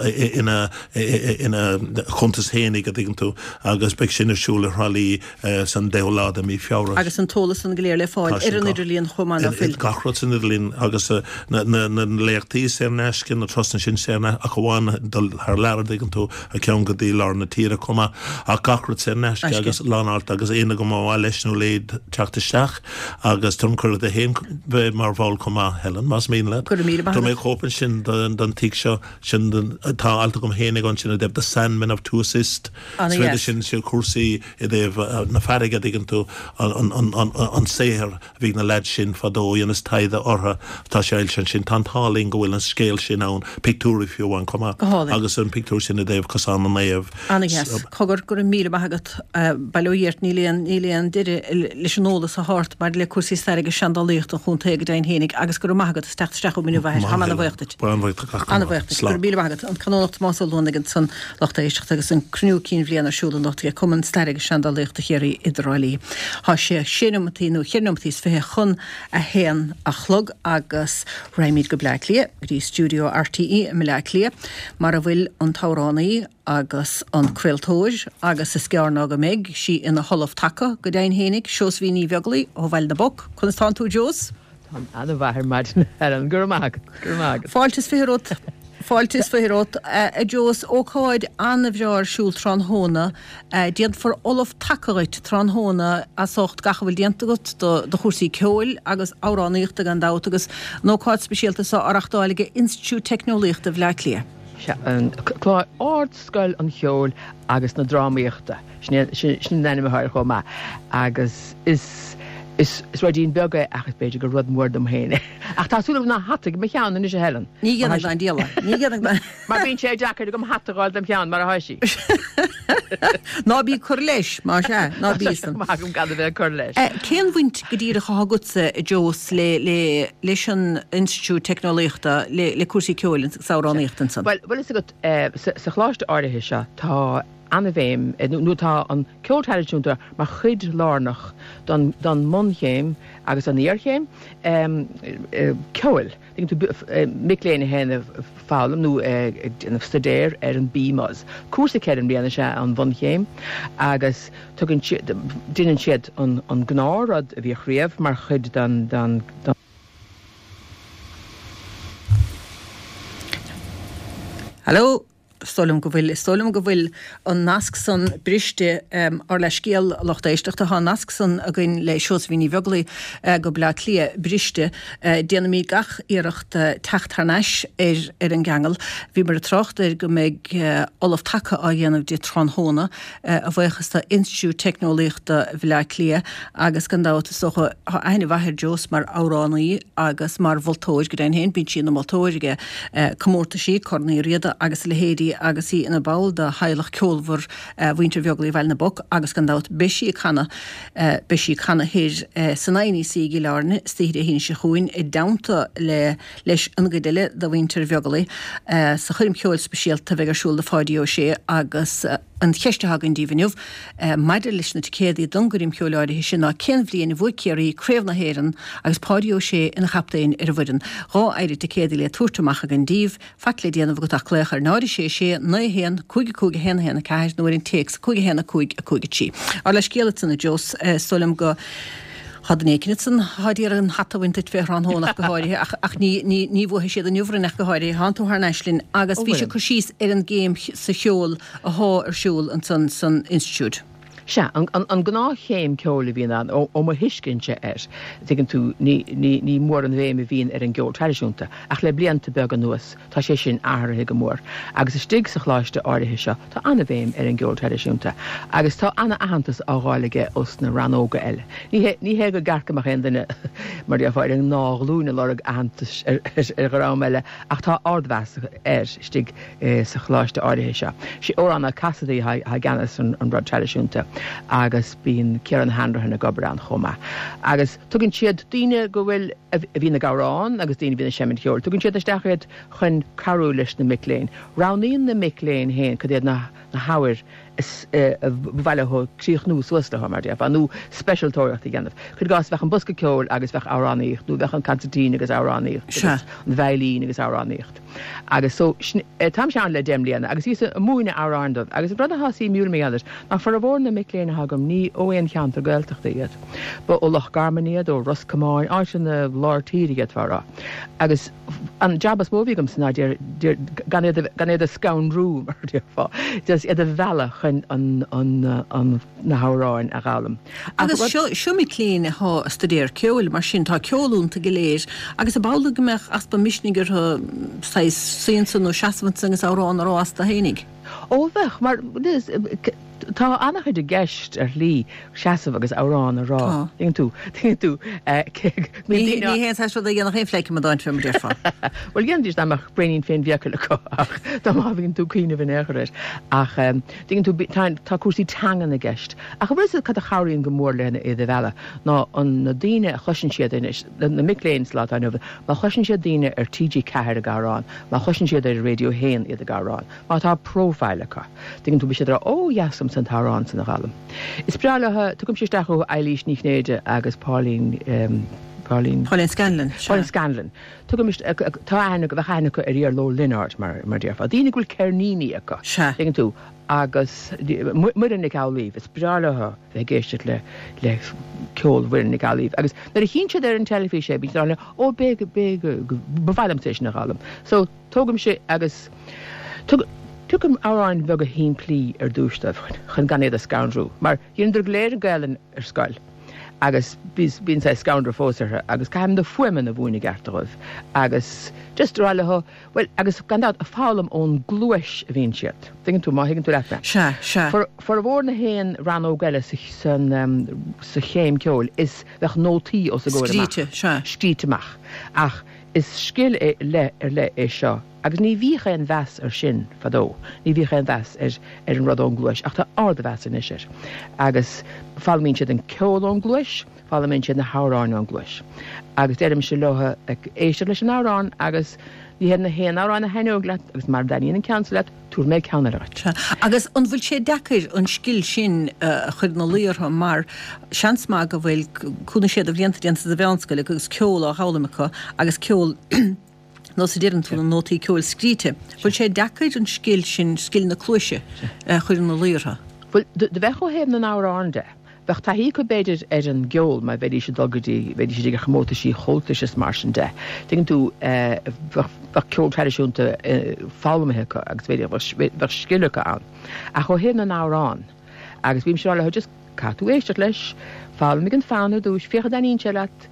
ina ina chuntas fhéinig a dtuigeann tú agus beidh sin ar siúl i Thrá Lí san deichiú lá de mí Feabhra. Agus an t-eolas san go léir le fáil Tá sin ar an gach idirlíon chomh maith, ná fuil? Gach rud san idirlíon agus na na léachtaí saor in aisce, na turasanna sin saor in aisce ach amháin dul thar lear a dtuigeann tú, an ceann go dtí lár na tíre chomh maith ach gach rud saor in aisce Aisce. agus lán alt agus éinne go mba mhaith leis nó léi ticéad teacht isteach agus tugaim cuireadh duit féin bheith mar bhall chomh maith, Helen, más mian leat. Go raibh míle maith Tá mé chóip ansin den den tigh seo sin den tá alt agam féinig ansin i dtaobh The Sandmen of Tuosist. Ana dheas. Sin sin cúrsaí i dtaobh na farraige dtuigeann tú an an an an an saothar a bhí ag na leaids sin fadó dhéanas taighde orthu tá sé foilsithe ansin tá an t-ádh linn go bhfuil an scéal sin ann pictiúirí fiú amháin chomh maith Go hálainn. agus an pictiúr sin i dtaobh Cosán na Naomh. Ana dheas. Cogar go raibh míle maith agat bail ó Dhia ort níl aon níl aon deireadh leis an eolas atá ort maidir le cúrsaí staire agus seandálaíochta an chontae go deimhin fhéinig agus go raibh maith agat as teacht isteach chugam inniu a athair. Táim ana-bhuíoch duit. Ana-bhuíoch duit. Go raibh míle maith agat. An Canónach Tomás Ó Luanaigh ansan lucht éisteachta agus an cruinniú cinn bhliana ar siúl anocht ag Cumann Staire agus Seandálaíochta Chiarraí i dTrá Lí. Tá sé sé nóimeataí nó cheithre nóimeataí is fiche chun a haon a chlog agus raghaimid go Bleá Cliath go dtí stiúideo RTÉ i mBleá Cliath mar a bhfuil an t-amhránaí agus an craoltóir agus is gearr ná go mbeidh sí ina hollamh taca go deimhin fhéinig, Seosaimhín Ní Bheaglaoí ó Bhaile na bPoc. Conas tánn tú Jos? Táim an-mhaith ar maidin Helen go raibh maith agat go raibh maith agat. Fáilte is fiche romhat Fáilte is fiche romhat a Jos ócáid an-bhreá ar siúl tráthnóna déanfar ollamh taca dhuit tráthnóna as ucht gach a bhfuil déanta agat do do chúrsaí ceoil agus amhránaíochta gan dabht agus an ócáid speisialta seo á reachtáil ag Institiúid Teicneolaíochta Bhaile Átha Cliath. Sea, an clár Ardscoil an Cheoil agus na Drámaíochta sin sin an ainm atá air chomh maith agus is is is ruidín beag é ach is b'fhéidir gur rud mór dom féin é. Ach tá súil agam nach hata ag mo cheann anois a Helen. Ní dhéanfaidh ná an diabhal é. Ní dhéanfaidh ná. Mar bíonn sé deacair agam hata a fháil dom cheann mar atá sí. Ná bí ag cur leis, más ea, ná bí san. Maith agam gan a bheith ag cur leis. Cén bhaint go díreach atá agatsa, a Jos, le le leis an Institiúid Teicneolaíochta, le le cúrsaí ceoil agus amhránaíochta ansan? Bhuel, bhfuil fhios agat, sa sa choláiste áirithe seo tá an-bhéim, nó tá an ceol traidisiúnta mar chuid lárnach don don mbunchéim agus an iarchéim ceoil. Tuigeann tú, mic léinn a théann ag foghlaim nó ag déanamh staidéir ar an BMus. Cúrsa ceithre mbliana is ea an bhunchéim agus tugann siad, déanann siad an an gnáthrud a bhíodh riamh mar chuid den den den. Hello? Is dóigh liom go bhfuil, is dóigh liom go bhfuil an nasc san briste ár leithscéal, a lucht éisteachta. Tá an nasc san againn le Seosaimhín Ní Bheaglaoí go Bleá Cliath briste. Déanfaimid gach iarracht teacht thar n-ais ar ar an gceangal. Bhíomar ag trácht ar go mbeidh Ollamh Taca á dhéanamh di tráthnóna, a bhuíochas do Institiúid Teicneolaíochta Bhaile Átha Cliath agus gan dabht is dócha tá aithne mhaith ar Jos mar amhránaí agus mar mholtóir go deimhin féin. Bíonn sí ina moltóir ag comórtaisí, Corn Uí Riada agus a leithéidí agus í ina ball de theaghlach ceolmhar mhuintir Bheaglaoí Bhaile na bPoc agus gan dabht beidh sí ag canadh beidh sí ag canadh thoir san INEC i gCill Airne istoíche Dé haoine seo chugainn i dteannta le leis an gcuid eile de mhuintir Bheaglaoí sa choirm cheoil speisialta a bheidh ar siúl do Pháidí Ó Sé agus an cheist atá againn daoibh inniu maidir leis na ticéadaí don gcoirm cheoil áirithe sin ná cén bhliain a bhuaigh Ciarraí Craobh na hÉireann agus Páidí Ó Sé ina chaptaen ar an bhfoireann? Dhá phéire ticéadaí le tabhairt amach againn daoibh. Faic le déanamh agat ach glaoch ar náid a sé sé naoi a haon cúig a cúig a haon a haon a ceathair nó ar an téacs cúig a haon a cúig a cúig a trí. Ár leithscéal ansan a Jos, is dóigh liom go Tá duine éicint ansan atá d'iarraidh an hata a bhaint duit fé thráthnóna ach go háirithe ach ach ní ní ní bhuafaidh siad inniu orainn ach go háirithe. Tánn tú thar n-ais linn agus Ó bhís ag bhfuilim. cur síos ar an gcéim sa cheol athá ar siúl ansan san institiúid. Sea, an an an gnáthchéim ceoil a bhíonn ann, ó ó mo thuiscintse air, tuigeann tú, ní ní ní mór an bhéim a bhíonn ar an gceol traidisiúnta, ach le blianta beaga anuas, tá sé sin athraithe go mór. Agus istigh sa choláiste áirithe seo, tá an-bhéim ar an gceol traidisiúnta, agus tá an-aitheantas á fháil aige ós na rannóga eile. Ní hé ní hé go gceart go mbeadh aon duine, mar déarfá, ar an ngnáthghlúin ag lorg aitheantais ar ar dhream eile, ach tá ardmheas air istigh sa choláiste áirithe seo. Sé Odhrán Ó Casaide atá i gceannas an rud traidisiúnta agus bíonn Ciarán Hanrahan ag obair ann chomh maith. Agus tugann siad daoine go bhfuil, a bhíonn ag amhrán agus daoine a bhíonn ag seimint cheoil, tugann siad isteach iad chun cabhrú leis na mic léinn. Roghnaíonn na mic léinn féin cad iad na hábhair is ba mhaith leo críochnú suas leo, mar déarfá, nó speisialtóireacht a dhéanamh. Cuir i gcás, bheadh an bosca ceoil agus bheadh amhránaíocht, nó bheadh an consairtín agus amhránaíocht, Sea. agus an veidhlín agus amhránaíocht. Agus so, sin, táimse ann le deich mbliana, agus bhíos ag múineadh amhráin dóibh, agus an rud atá suimiúil mar gheall air, ná formhór na mic léinn atá agam, ní ó aon cheantar Gaeltachta iad. Ba ó Loch Garman iad, ó Ros Comáin, áiteanna lár tíre d'fhéadfá a rá. Agus an jab is mó a bhí agamsa ná gan iad a scanrú, mar a déarfá, just iad a mhealladh chun an, an, an, na hamhráin a fhoghlaim. Agus seo seo mic léinn atá ag staidéar ceoil, mar sin tá ceol iontu go léir agus ab amhlaidh go mbeadh easpa misnigh orthu saghas suí ansan nó seasamh ansan agus amhrán a rá astu fhéinig. Ó bheadh, mar tá an-chuid i gceist ar shlí seasamh agus amhrán a rá. Tá. Tuigeann tú, tuigeann tú, Ní ní haon saghas rud a dhéanfadh aon phleidhce amadáin fé mar déarfá. Bhuel dhéanfaidís dá mbeadh braoinín féin-mhichael acu ach dá má bhíonn tú ag cuimhneamh in aon chor air. Ach tuigeann tú tá tá cúrsaí teangan i gceist. Ach an bhfuil fhios agat cad a chabhraíonn go mór lena iad a mhealladh ná an na daoine a chloiseann siad anois, na mic léinn sa lá atá inniu, má chloiseann siad daoine ar TG Ceathair ag amhrán, má chloiseann siad ar Radio a haon iad ag amhrán, má tá profile acu, tuigeann tú, beidh siad ag rá, ó dheas liomsa an t-amhrán san a fhoghlaim. Is breá leo, tugaimse isteach chucu Eilís Ní Chinnéide agus Pauline, Pauline. Pauline Scanlon, sea. Pauline Scanlon. Tugaim isteach, tá aithne, bheadh aithne acu ar Iarla Ó Lionáird, mar, mar déarfá. Daoine go bhfuil ceirníní acu. Sea. Tuigeann tú, agus Muireann Nic Amhlaoibh, is breá leo bheith ag éisteacht le, le ceol Mhuireann Nic Amhlaoibh. Agus nuair a chíonn siad ar an teilifís é, bíonn siad ag rá, ó, b'é, b'é, ba mhaith liomsa é sin a fhoghlaim. So, tógaimse agus tug, tugaim amhráin bheaga shimplí ar dtús dóibh chun gan iad a scanrú, mar dheineadar go léir an Ghaelainn ar scoil agus bíonn saghas scanradh fós orthu agus caithim na fuaimeanna a mhúineadh i gceart dóibh agus just rá leo, bhuel, agus gan dabht, ag foghlaim ón gcluais a bhíonn siad. Tuigeann tú, má thuigeann tú leat mé. Sea, sea. Formhór na haon rannóg eile sa, san, sa chéim ceoil is bheadh nótaí os a gcomhair amach. Scríte, sea. Scríte amach. Ach is scil é, leith ar leith é seo agus ní bhíodh aon mheas air sin fadó, ní bhíodh aon mheas ar ar an rud ón gcluais ach tá ardmheas anois air. Agus foghlaimíonn siad an ceol ón gcluais, foghlaimíonn siad na hamhráin ón gcluais. Agus deirimse leo éisteacht leis an amhrán agus ní hé na haon amhrán a thaitneoidh leat agus mara dtaitníonn an ceann seo leat, tabharfaidh mé ceann eile dhuit. Sea. Agus an bhfuil sé deacair an scil sin a chur ina luí orthu mar seans maith go bhfuil cúig nó sé de bhlianta déanta sa mheánscoil acu agus ceol á dh'fhoghlaim acu agus ceol nós a deireann tú, na nótaí ceoil scríte. Bhfuil sé deacair an scil sin, scil na cluaise, a chur ina luí orthu? Bhuel, do bheadh ó thaobh na n-amhrán de. Bheadh taithí acu b'fhéidir ar an gceol mar bheidís ag dul go dtí, bheidís ag comórtaisí Chomhaltais is mar sin de. Tuigeann tú, bheadh, bheadh ceol traidisiúnta foghlamtha acu agus b'fhéidir bheadh, bheadh scil acu ann. Ach ó thaobh na n-amhrán, agus bímse ag rá leo just caithfidh tú éisteacht leis, foghlaimigh an fonn ar dtús, féach an dtaitníonn sé leat,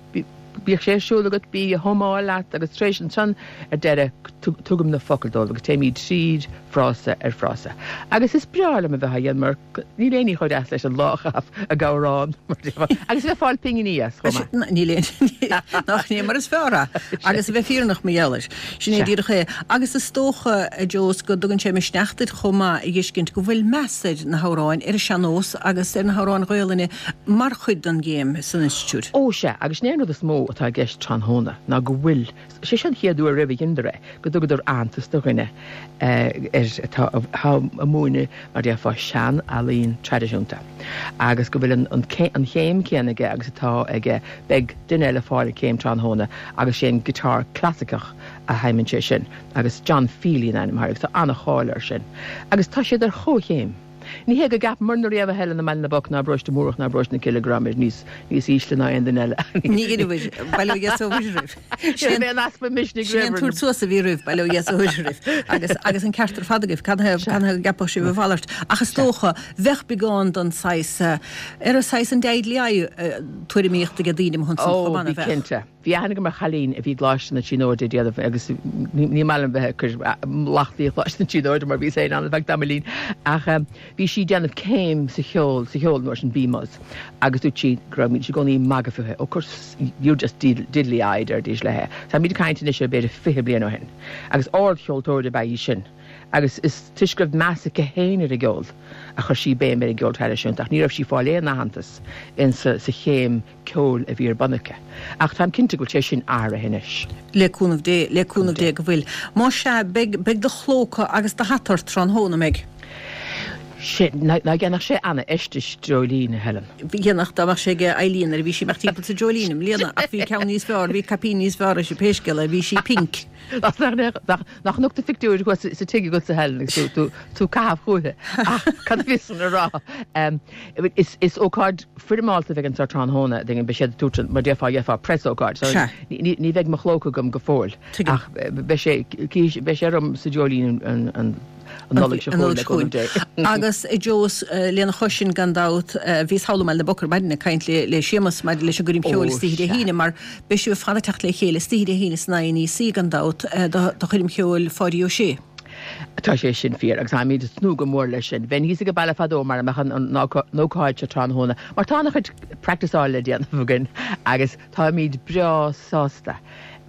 Bíodh sé ar siúl agat, bí á humáil leat agus tar éis ansan ar deireadh tugaim na focail dóibh agus téimid tríd frása ar frása. Agus is breá liom a bheith á dhéanamh mar níl aon ní chomh deas leis an lá a chaitheamh ag amhrán mar déarfá agus a bheith ag fáil pinginí as chomh maith. Níl aon nach ní mar is fearr é agus a bheith fírinneach mar gheall air. Sin é díreach é. Agus is dócha, a Joe, go dtugann sé misneach duit chomh maith a fheiscint go bhfuil meas ar na hamhráin, ar an sean-nós agus ar na hamhráin Ghaelainne mar chuid den gcéim san institiúid. Ó sea, agus sin é an rud is mó atá i gceist tráthnóna, ná go bhfuil, sé seo an chéad uair riamh a dheineadar é, go dtugadar aitheantas do dhuine ar atá ag múineadh, mar déarfá, sean-ealaín traidisiúnta, agus go bhfuil an an chéim chéanna aige agus atá aige, beidh duine eile ag fáil an chéim tráthnóna agus sé an guitar clasaiceach a sheinneann sé sin, agus John Feely an ainm air, agus tá an-cháil air sin, agus tá siad ar chomhchéim. Ní hé go gceapamarna riamh a Helen i mBaile na bPoc ná i bParóiste Múrach ná i bParóiste na Cille go rabhamar níos níos ísle ná aon duine eile. Ní dheineabhair, bail ó Dhia is ó Mhuire oraibh. Sin é an easpa misnigh Sin é an roimh. tabhairt suas a bhí oraibh, bail ó Dhia is ó Mhuire oraibh. Agus agus an ceart ar fad agaibh, cad thaobh cad thaobh go gceapfadh sibh a mhalairt. Ach is dócha, bheadh beagán den saghas, ar an saghas an deadly eye tuairimíocht aige daoine amuigh ansan Ó, chomh maith, bhí nach bheadh? cinnte. Bhí aithne agam ar chailín a bhí i gColáiste na Tríonóide ag déanamh agus ní maith liom bheith ag cur lachtaí ar Choláiste na Tríonóide mar bhíos féin ann ar feadh tamaillín ach bhí sí ag déanamh céim sa cheol, sa cheol an uair sin, BMus, agus dúirt sí go raibh, bídís i gcónaí ag magadh fúithi, oh course you're just diddly-eyed deiridís léi. Táimid ag caint anois ar b'fhéidir fiche bliain ó shin agus ardcheoltóir ab ea í sin agus is toisc go raibh meas aici féin ar an gceol a chuir sí béim ar an gceol traidisiúnta ach ní raibh sí ag fáil aon aitheantas in sa chéim ceoil a bhí ar bun aici. Ach táim cinnte go bhfuil sé sin athraithe anois. Le cúnamh Dé, le cúnamh Dé go bhfuil. Más ea, beidh, beidh do chlóca agus do hata ort tráthnóna, an mbeidh? Sé, ná dhéanfadh sé ana-fheisteas dreoilín, a Helen. Dhéanfadh, dá mbeadh sé ag Eileen nuair a bhí sí ag imeacht timpeall sa dreoilín i mbliana, ach bhí ceann níos fearr, bhí caipín níos fearr aici, pé scéal é, bhí sí pink. Nach, nach, nach nocht a phictiúir thuas sa tigh agatsa, a Helen, agus tú, tú, tú ag caitheamh chúiche. Ach cad a bhíos chun a rá? Is, is ócáid foirmeálta a bheidh anseo tráthnóna, beidh siad ag tabhairt, mar déarfá, gheofá preasócáid. So Sea. ní, ní bheidh mo chlóca agam go fóill. Tuigim. Ach beidh sé, beidh sé orm sa dreoilín an, an, an Nollaig seo chugainn le cúnamh Dé. Agus a Joe, lena chois sin gan dabht, bhíos thall i mBaile na bPoc ar maidin ag caint le Séamus maidir leis an gcoirm cheoil istoíche Dé hAoine mar beidh sibh ar fad ag teacht le chéile istoíche Dé hAoine san INEC gan dabht do choirm cheoil Pháidí Ó Sé. Tá sé sin fíor agus táimid ag tnúth go mór leis sin. Bheinn thíos ag an baile fadó mara mbeadh an ócáid seo tráthnóna mar tá an-chuid practiceáil le déanamh againn agus táimid breá sásta,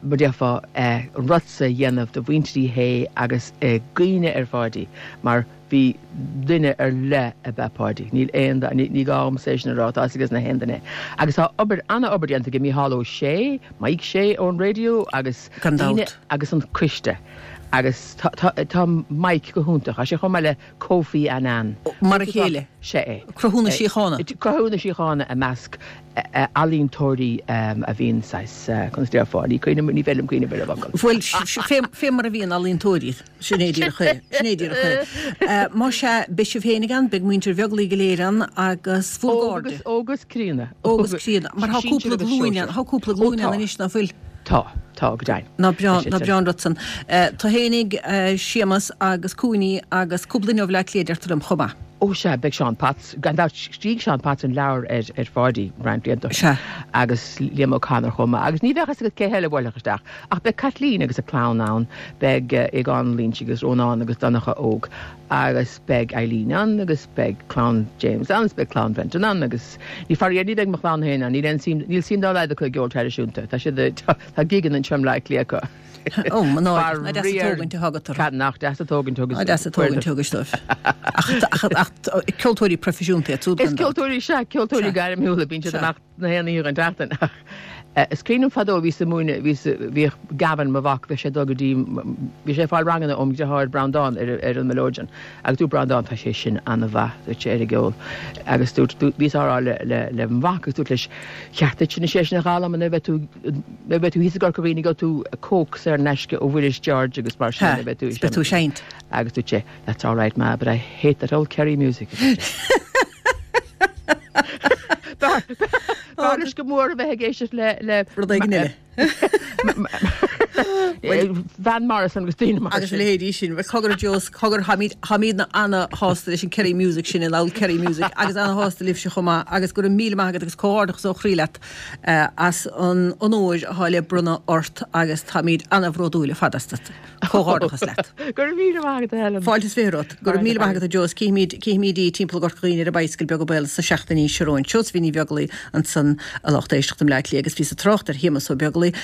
mar déarfá, an rud so a dhéanamh do mhuintir Uí Shé agus i gcuimhne ar Pháidí mar bhí duine ar leith ab ea Páidí. Níl aon, ní gá dhomsa é sin a rá, tá a fhios ag na haon duine. Agus tá obair, an-obair déanta ag Mícheál Ó Sé, Mike Shea ón raidió agus Gan daoine dabht. agus an coiste. Agus tá, tá, tá Mike go hiontach. Tá sé chomh maith le Kofi Annan. Mar a chéile. Sea é. Cruthú na síochána. Cruthú na síochána i measc ealaíontóirí a bhíonn saghas, conas déarfá, ní cuimhin, ní féidir liom cuimhneamh ar an bhfocal. Bhuel, fé, fé mar a bhíonn ealaíontóirí, sin é díreach é, sin é díreach é. Más ea, beidh sibh féinig ann, beidh muintir Bheaglaoich go léir ann agus bhur Óg gcairde. agus, óg agus críonna. Óg agus críonna. Mar tá Sinsir cúpla agus glúin ann, sóisir. tá cúpla Ó glúin tá. ann anois, ná fuil? Tá, tá, go deimhin. Ná breá, Tá ná siad breá an rud san. Tú fhéinig, Séamus agus Cúiní agus cúpla duine ó Bhleá Cliath deirtear liom chomh maith. Ó sea, beidh Seán Potts, gan dabht, scrígh Seán Potts an leabhar ar ar Pháidí roinnt blianta ó shin. Sea. Agus Liam O'Connor chomh maith. Agus ní bheadh fhios agat cé heile a bhuailfeadh isteach. Ach beidh Caitlín agus a clann ann, beidh Aogán Lynch agus Rónán agus Donncha Óg. Agus beidh Eileen ann agus beidh clann James ann agus beidh clann Brendan ann agus ní faraor ní bheidh mo chlann féin ann, níl aon suim, níl suim dá laghad acu i gceol traidisiúnta. Tá siad, tá gigeanna anseo i mBleá Cliath acu. Ó, mo náire, ná deas an Faraor tógaint atá agat orthu. Cad nach deas an tógaint a thugas Ná deas an tógaint a thugais dóibh. Ach, ach, ach ceoltóirí proifisiúnta iad siúd Is gan dabht. ceoltóirí, sea, ceoltóirí Sea. gairmiúla, bíonn siad Sea. amach na haon oíche den tseachtain. Ach is cuimhin liom fadó bhíos ag múineadh, bhíos, bhíodh Gavin, mo mhac, bhíodh sé ag dul go dtí, bhí sé ag fáil ranganna óm dheartháir Breandán ar, ar an mileoidean. Agus dúirt Breandán, tá sé sin an-mhaith, dúirt sé, ar an gceol. Agus dúirt, dúirt, bhíos á rá le, le, le mo mhac agus dúirt leis, cheart duit anois é sin a dh'fhoghlaim nuair a bheidh tú, nuair a bheidh tú thíos i gCorca Dhuibhne gheobhaidh tú Coke saor in aisce ó Mhuiris George agus mar sin Ha, nuair a bheidh tú is beidh tú ag seinnt. Agus dúirt sé, that's all right ma, but I hate that old Kerry music. a dúirt sé. B'fhearr leis go mór a bheith ag éisteacht le le Rud éigin eile. Van Morrison agus daoine mar Agus a sin. leithéidí sin. Bhuel, cogar a Joe, cogar, táimid, táimidne ana-shásta leis an Kerry Music sin, an old Kerry Music, agus ana-shásta libhse chomh maith, agus go raibh míle maith agat agus comhghairdeachas ó chroí leat as an onóir atá le bronnadh ort agus táimid ana-bhródúil ar fad astat. Comhghairdeachas leat. Go raibh míle maith agat, a Helen. Fáilte is fiche romhat. Go raibh míle maith agat, a Joe. Cífimid, cífimid í timpeall i gCorca Dhuibhne ar an bicycle beag béal sa seachtainí seo romhainn. Seosaimhín Ní Bheaglaoich ansan a lucht éisteachta i mBleá Cliath agus bhíos ag trácht ar Shéamus Ó Beaglaoich,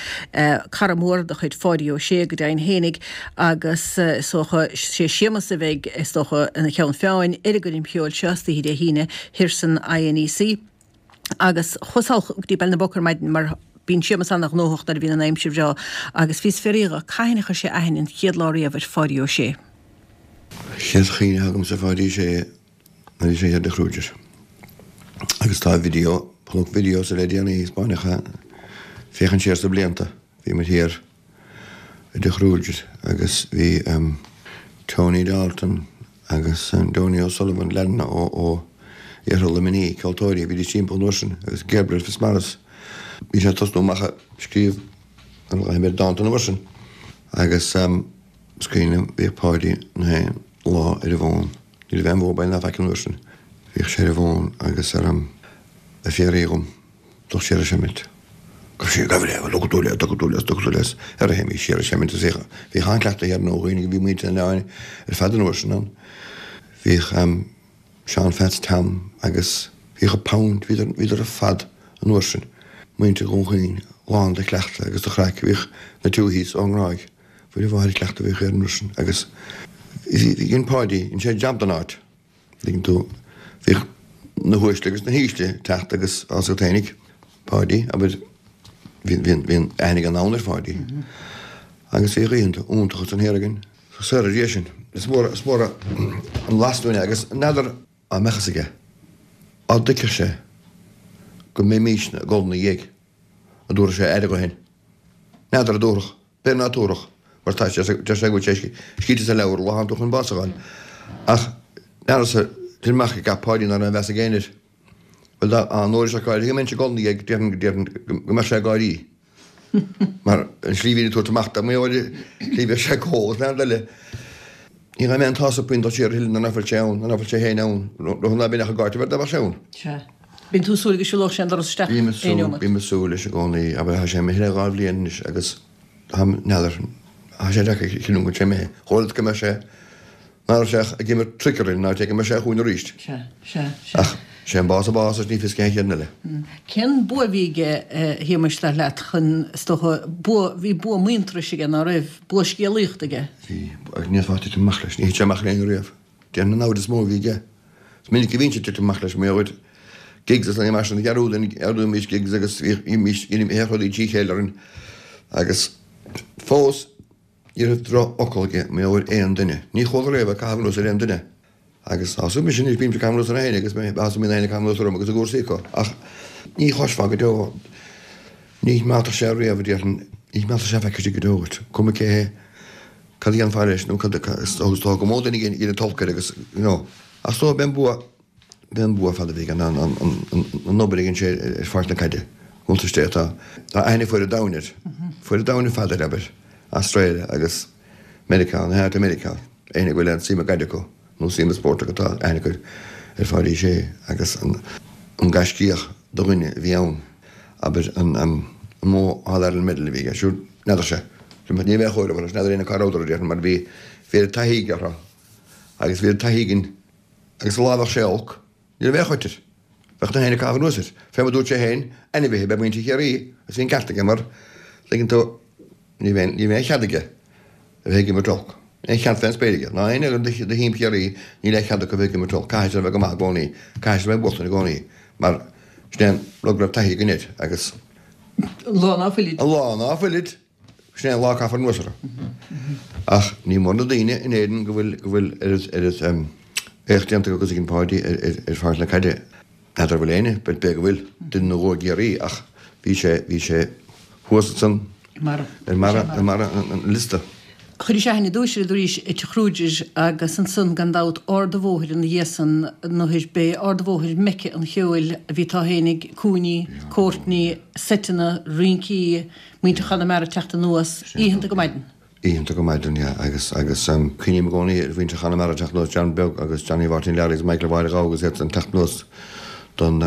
cara mór de chuid Pháidí Ó Sé go deimhin fhéinig agus is dócha sé Séamus a bheidh is dócha ina cheann feadhain ar an gcoirm cheoil seo istoíche Dé hAoine thiar san INEC. Agus chuas thall go dtí Baile na bPoc ar maidin mar bíonn Séamus ana-ghnóthach nuair a bhíonn an aimsir bhreá agus bhíos ag fiafraí dhe cathain a chuir sé aithne an chéad lá riamh ar Pháidí Ó Sé. Chéad chuimhne agamsa ar Pháidí Ó Sé nuair a bhí sé thiar i dTigh Kruger. Agus tá video, chonac video sa le déanaí Spáinneacha féachaint siar sna blianta. Bhí muid thiar i dTigh Kruger agus bhí Tony Dalton agus Donie O'Sullivan, leaideanna ó ó iarthar Luimnigh, ceoltóirí, bhídís timpeall an uair sin agus Gabriel Fitzmaurice. Bhí sé ag tosnú amach ag scríobh an ghaibh dánta an uair sin. Agus is cuimhin liom, bhíodh Páidí na haon lá ar an bhfón. Ní raibh aon mhobile ná faic an uair sin. Bhíodh sé ar an bhfón agus ar an ag fiafraí dhom dul siar a seimint. Gabh siar, gabh le, dtuga tú le, dtuga tú le, dtuga tú le, ar a théimís siar a seimint is bhíodh, bhíodh an-chleachtadh thiar nó dhaoine go bhí muintir an oileáin ar fad an uair sin ann. Bhíodh Seán Pheaits Tom agus bhíodh an pound, bhíodar, bhíodar ar fad an uair sin. Muintir Dhún Chaoin lán de chleachtadh agus de chraic. Bhíodh na Tuohys ón nGráig. Mhuire Mháthair cleachtadh a bhíodh air an uair sin agus bhí, bhí, dhein Páidí, dhein sé jab den áit. Tuigeann tú, bhíodh na huaisle agus na hísle ag teacht agus tá a fhios agat fhéinig, Páidí, abair, bhí, bhí, bhí an aithne ag an domhan ar Pháidí. Agus bhíodh oícheanta iontacha san thiar againn. Saor ar Dhia sinn. Is mór, is mór an blas dúinn é agus n'fheadar dá mbeadh fhios aige, dá dtuigfeadh sé go mbeimisne ag dul ina dhiaidh, an dtabharfadh sé aire dho féin. N'fheadar an dtabharfadh, b'fhéidir ná tabharfadh, mar tá sé, deir sé go bhfuil sé scríte sa leabhar, lá thánn tú chun bás a fháil. Ach n'fheadarsa, tuit amach ag gach Páidí ná raibh aon mheas ag éinne air. Bhuel, dá an uair seo gáirí go mbeinnse ag dul ina dhiaidh, déarfainn, déarfainn go mbeadh sé ag gáirí. Mar an slí a bhí ag tabhairt amach dá mba slí bheadh sé ag ól is leanbh eile. Ní raibh mé an t-sásta puinn dul siar a thuilleadh nuair nach bhfuil sé ann, nuair nach bhfuil sé féin ann, rud ná bíonn ach i gcáit a bheith dá mbeadh sé ann. Sea. Bíonn tú ag súil go siúlódh sé an doras isteach Bím ag aon súil, neomat. bím ag súil leis i gcónaí, abair, tá sé imithe le dhá bhliain anois agus táim, n'fheadar, tá sé deacair a chinniúint go bhfuil sé imithe. Chomh fada go mbeidh sé, ná raibh sé ach ag imirt truicear linn, ná téigh go mbeidh sé chugainn arís. Sea, sea, sea. Ach sé an bás an bás agus ní fios cén chéad duine eile. Cén bua a bhí aige, a Shéamuis, dar leat, chun, is dócha, bua, bhí bua muintearais aige, ná raibh? Bua scéalaíochta aige? Bhí, agus ní fhéadfá titim amach leis, ní thit sé amach le éinne riamh. Déarfainn an namhaid is mó a bhí aige. Is minic a bhínnse ag titim amach leis, mar gheall ar gigs is mar sin, ghearrúdaimís gigs agus bhímís, bhíodh rudaí trí chéile orainn agus fós ní raibh drochfhocal aige mar gheall ar aon duine. Ní chuala riamh é ag caitheamh anuas ar aon duine. Agus thosaigh mise anois, bímse ag caitheamh anuas ar éinne agus thosaigh mé ag caitheamh anuas orm agus i gcúrsaí acu. Ach ní chloisfeá go deo, ní mheallfadh sé riamh, a déarfainn, ní mheallfadh sé feicfidh sé go deo dhuit, cuma cé hé, cad a dhéanfá leis nó cad, agus tá go mór duine ag déanamh olc air agus, you know. Ach so b'é an bua, b'é an bua fada a bhí aige ná an, an, an, an obair a dhein sé ar pháirc na caide. Iontas Dé tá, tá aithne fuaid an domhain air, fuaid an domhain ar fad air, abair, Australia agus Meiriceá, na háit i Meiriceá, éinne go bhfuil aon suim i gcaid acu nó suim i spórt acu tá aithne acu ar Pháidí Sé agus an, an gaiscíoch de dhuine a bhí ann, abair, an, an mó All Ireland medal a bhí aige, siúd, n'fheadar sé, ní bheadh chóir abair, n'fheadar éinne cá rabhadar, déarfainn, mar bhí, bhí oiread taithí aige orthu agus bhí oiread taithí againn agus an lá a bheadh sé olc, ní raibh aon choit air. Bheadh na héinne ag caitheamh anuas air. Fé mar dúirt sé féin, ainmhithe ab ea muintir Chiarraí agus bhí an ceart aige mar, tuigeann tú, ní bheadh ní bheadh aon chead aige a bheith ag imirt olc. Aon chead fén spéir aige. Ná éinne de thím Chiarraí, níl aon chead acu a bheith ag imirt olc. Caithfidh siad a bheith go maith i gcónaí. Caithfidh siad a bheith ag buachtaint i gcónaí. Mar sin é an rud go raibh taithí againn air agus. An lá ná fuilid. An lá ná fuilid. Sin é an lá a caithfear anuas orthu. Ach ní mór na daoine in Éirinn go bhfuil go bhfuil oiread oiread éacht déanta acu agus a dhein Páidí ar ar ar pháirc na caide. N'fheadar an bhfuil éinne, b'fhéidir go bhfuil, duine nó dhó i gCiarraí ach bhí sé bhí sé thuas ansan I mbarra. ar mbarra ar mbarra an an liosta. Chuiris aithne ar dtús air arís i Tigh Kruger agus ansan gan dabht Ard a' Bhóthair ina dhiaidh san nuair b'é Ard a' Bhóthair Mecca an cheoil a bhí tá fhéinig, cúinní, cóirtní, seiteanna, rincí, Muintir Chonamara ag teacht anuas oícheanta go maidin. Oícheanta go maidin, yeah, agus, agus cuimhním i gcónaí ar mhuintir Chonamara ag teacht anuas, John Beag agus Johnny Mháirtín Learaí agus Michael Mháire Ghabha agus iad ag teacht anuas don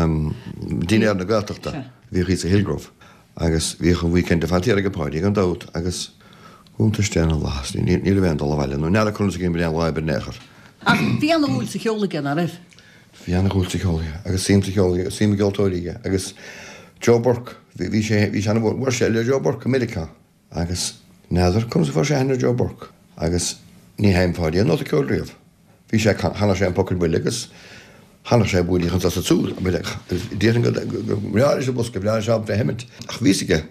dinnéar na Gaeltachta a bhíodh thíos i Hillgrove. Agus bhíodh an weekend ar fad thiar ag Páidí gan dabht agus cuntais Dé ina bhflaitheas, ní, ní raibh aon dul abhaile nó n'fheadar conas a bhí aon lá oibre in aon chor. Ach bhí ana-dhúil sa cheol aige, ná raibh? Bhí ana-dhúil sa cheol aige agus suim sa cheol aige, suim i gceoltóirí aige agus Joe Burke, bhí, bhí sé, bhí sé ana-mhór, bhuail sé le Joe Burke i Meiriceá agus n'fheadar conas a fuair sé aithne ar Joe Burke agus ní sheinn Páidí aon nóta ceoil riamh. Bhí sé, chanadh sé an Poc ar Buile agus chanadh sé Buailfidh anso is ansúd, déarfainn go, go mbreá leis an bosca, bhreá leis ábalta é a sheimint ach bhí fhios aige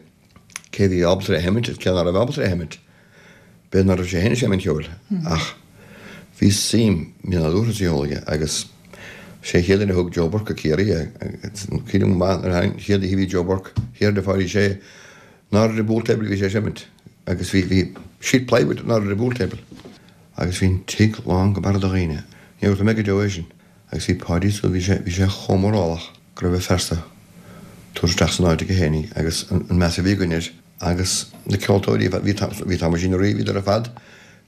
cé bhí ábalta é a sheimint agus cé ná raibh ábalta é a sheimint. B'fhéidir ná raibh sé féin ag seinm an cheoil ach bhí suim nádúrtha sa cheol aige agus sé an chéad duine a thug Joe Burke go Ciarraí é. Cuimhním go maith nuair a tháinig an chéad oíche a bhí Joe Burke thiar le Páidí Sé in airde ar an bpool table a bhí sé ag seimint agus bhí bhí sheet plywood in airde ar an bpool table agus bhí an tigh lán go barra de dhaoine. Ní dhearúdfaidh mé go deo é sin. Agus bhí Páidí so bhí sé bhí sé chomh mórálach go raibh a phearsa tabhairt isteach san áit aige fhéinig agus an meas a bhí againn air agus na ceoltóirí ar fad, bhí bhí Thomasín Ó Riain, bhíodar ar fad,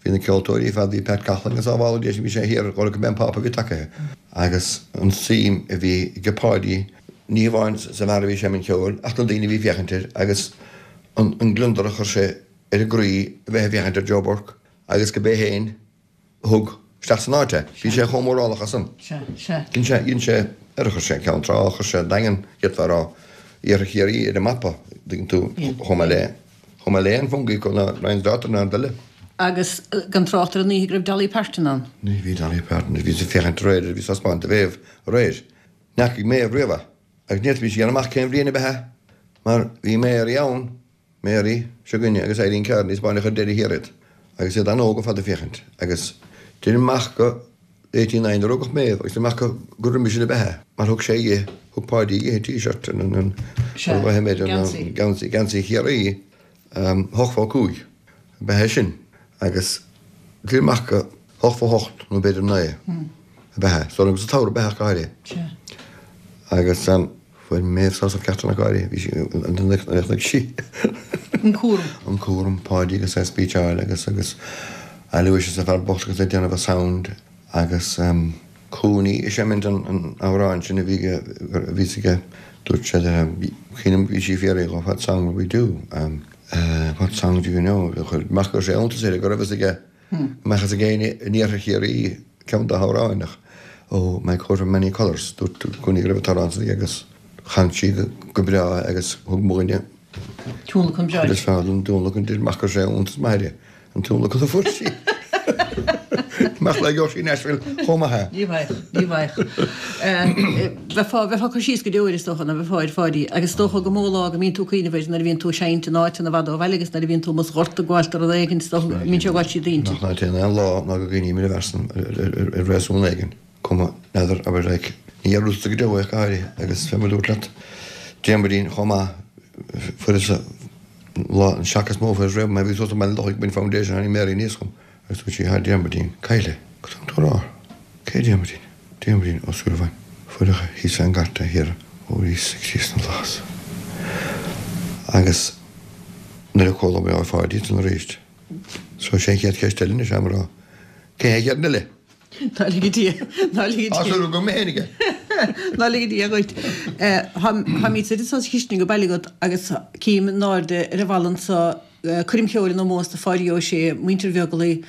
bhí na ceoltóirí ar fad, bhí Pat Coughlan agus sábhála Dé bhí sé thiar, dhul go Ben Pápa bhí tacaithe. Agus an tsuim a bhí ag Páidí, ní hamháin sa bhfear a bhí ag seinm an cheoil ach na daoine a bhí ag féachaint air agus an an gliondar a chuir sé ar a gcroí a bheith ag féachaint ar Joe Burke agus go b'é féin a thug isteach san áit é. Bhí sé chomh mórálach as san. Sea, sea. Dhein sé, dhein sé, ar chuir sé Ceann Trá, chuir sé Daingean, d'fhéadfá a rá, Iarthar Chiarraí ar an mapa, dtuigeann tú, chomh maith le, chomh maith le an Fungie ná Ryan's Daughter ná an eile. Agus gan trácht ar an oíche go raibh Dolly Parton ann. Ní bhí Dolly Parton, bhí sí ag féachaint aréir, bhí sí ag 'spáint do Mhéabh aréir. N'fheacaigh Méabh riamh é. Agus ní fhéadfaimis a dhéanamh amach cén bhliain ab ea é, mar bhí Mary ann, Mary seo againne agus Eileen Kearney 'spáineadh ar deireadh thiar iad agus iad an-óg ar fad ag féachaint agus deirim amach go eighty nine a rugadh Méabh agus deirim amach go gur roimhe sin ab ea é mar thug sé dhi, thug Páidí dhi an t-shirt an an Sea, an geansaí. geansaí, geansaí Chiarraí, hocht fó cúig ab ea é sin agus deirim amach go hocht fó hocht nó b'fhéidir naoi ab ea é, so sa tsamhradh ab ea ach go háirithe. Sea. Agus Fuair Méabh sásamh ceart ina gáire. Bhí sí, chonaic sí. An cúram. An cúram, Páidí agus é ag speecháil agus, agus, Aloysius an fear bocht agus é ag déanamh a sound agus Cooney is ea mint an amhráin sin a bhí a bhí aige dúirt sé cuimhním bhí sí ag fiafraí dhó what song will we do what song do you know chuir amach go raibh sé iontas air go raibh fhios aige go mbeadh fhios ag éinne in iarthar Chiarraí ceann dá hamhráin ach oh my coat of many colours dúirt Cooney go raibh an t-amhrán san aige agus chan sí go breá agus thug mo dhuine Tionlacan breá. Is fearr an tionlacan di amach go raibh sé iontas maith air an tionlacan a fuair sí. Amach le gheobhadh sí Nashville chomh maith é. Ní bheadh, ní bheadh. Bheifeá, bheifeá ag cur síos go deo air is dócha, nó bheifeá ar Pháidí. Agus is dócha gur mó lá go mbíonn tú ag cuimhneamh air nuair a bhíonn tú ag seinnt in áiteanna i bhfad ó bhaile agus nuair a bhíonn tú amuigh sa ghort ag gabháil do rud éigin, is dócha go mbíonn sé ag gabháil tríd d'intinn. Nach ná téann aon lá ná go gcuimhním ar an bhfear san ar réasún éigin. Cuma, n'fheadar, abair like, ní dhearúdfadsa go deo é ach go háirithe agus fé mar a dúrt leat, Diarmuidín chomh maith, fuaireas lá an seac is mó a fuaireas riamh mé, bhí suas i mBaile an Lochaigh ag baint foundation, tháinig Mary aníos chugam agus dúirt sí, Thá Diarmuidín caillte. Cad tá tú a rá? Cé Diarmuidín? Diarmuidín Ó Súilleabháin. Fuaireadh é thíos fén gcarta thiar ó Íosa Críost na bhFlaitheas. Agus nuair a chuala mé ó Pháidí ansan arís, so sé an chéad cheist eile anois a'm a rá, cé hé an chéad duine eile? Ná lige Dia, ná lige Tá Dia. súil agam mé féin aige. Ná lige Dia dhuit. Táimid suite anso sa chistin go baile agat agus cím in airde ar an bhalla anso coirm cheoil in ómós do Pháidí Ó Sé, muintir Bheaglaoich,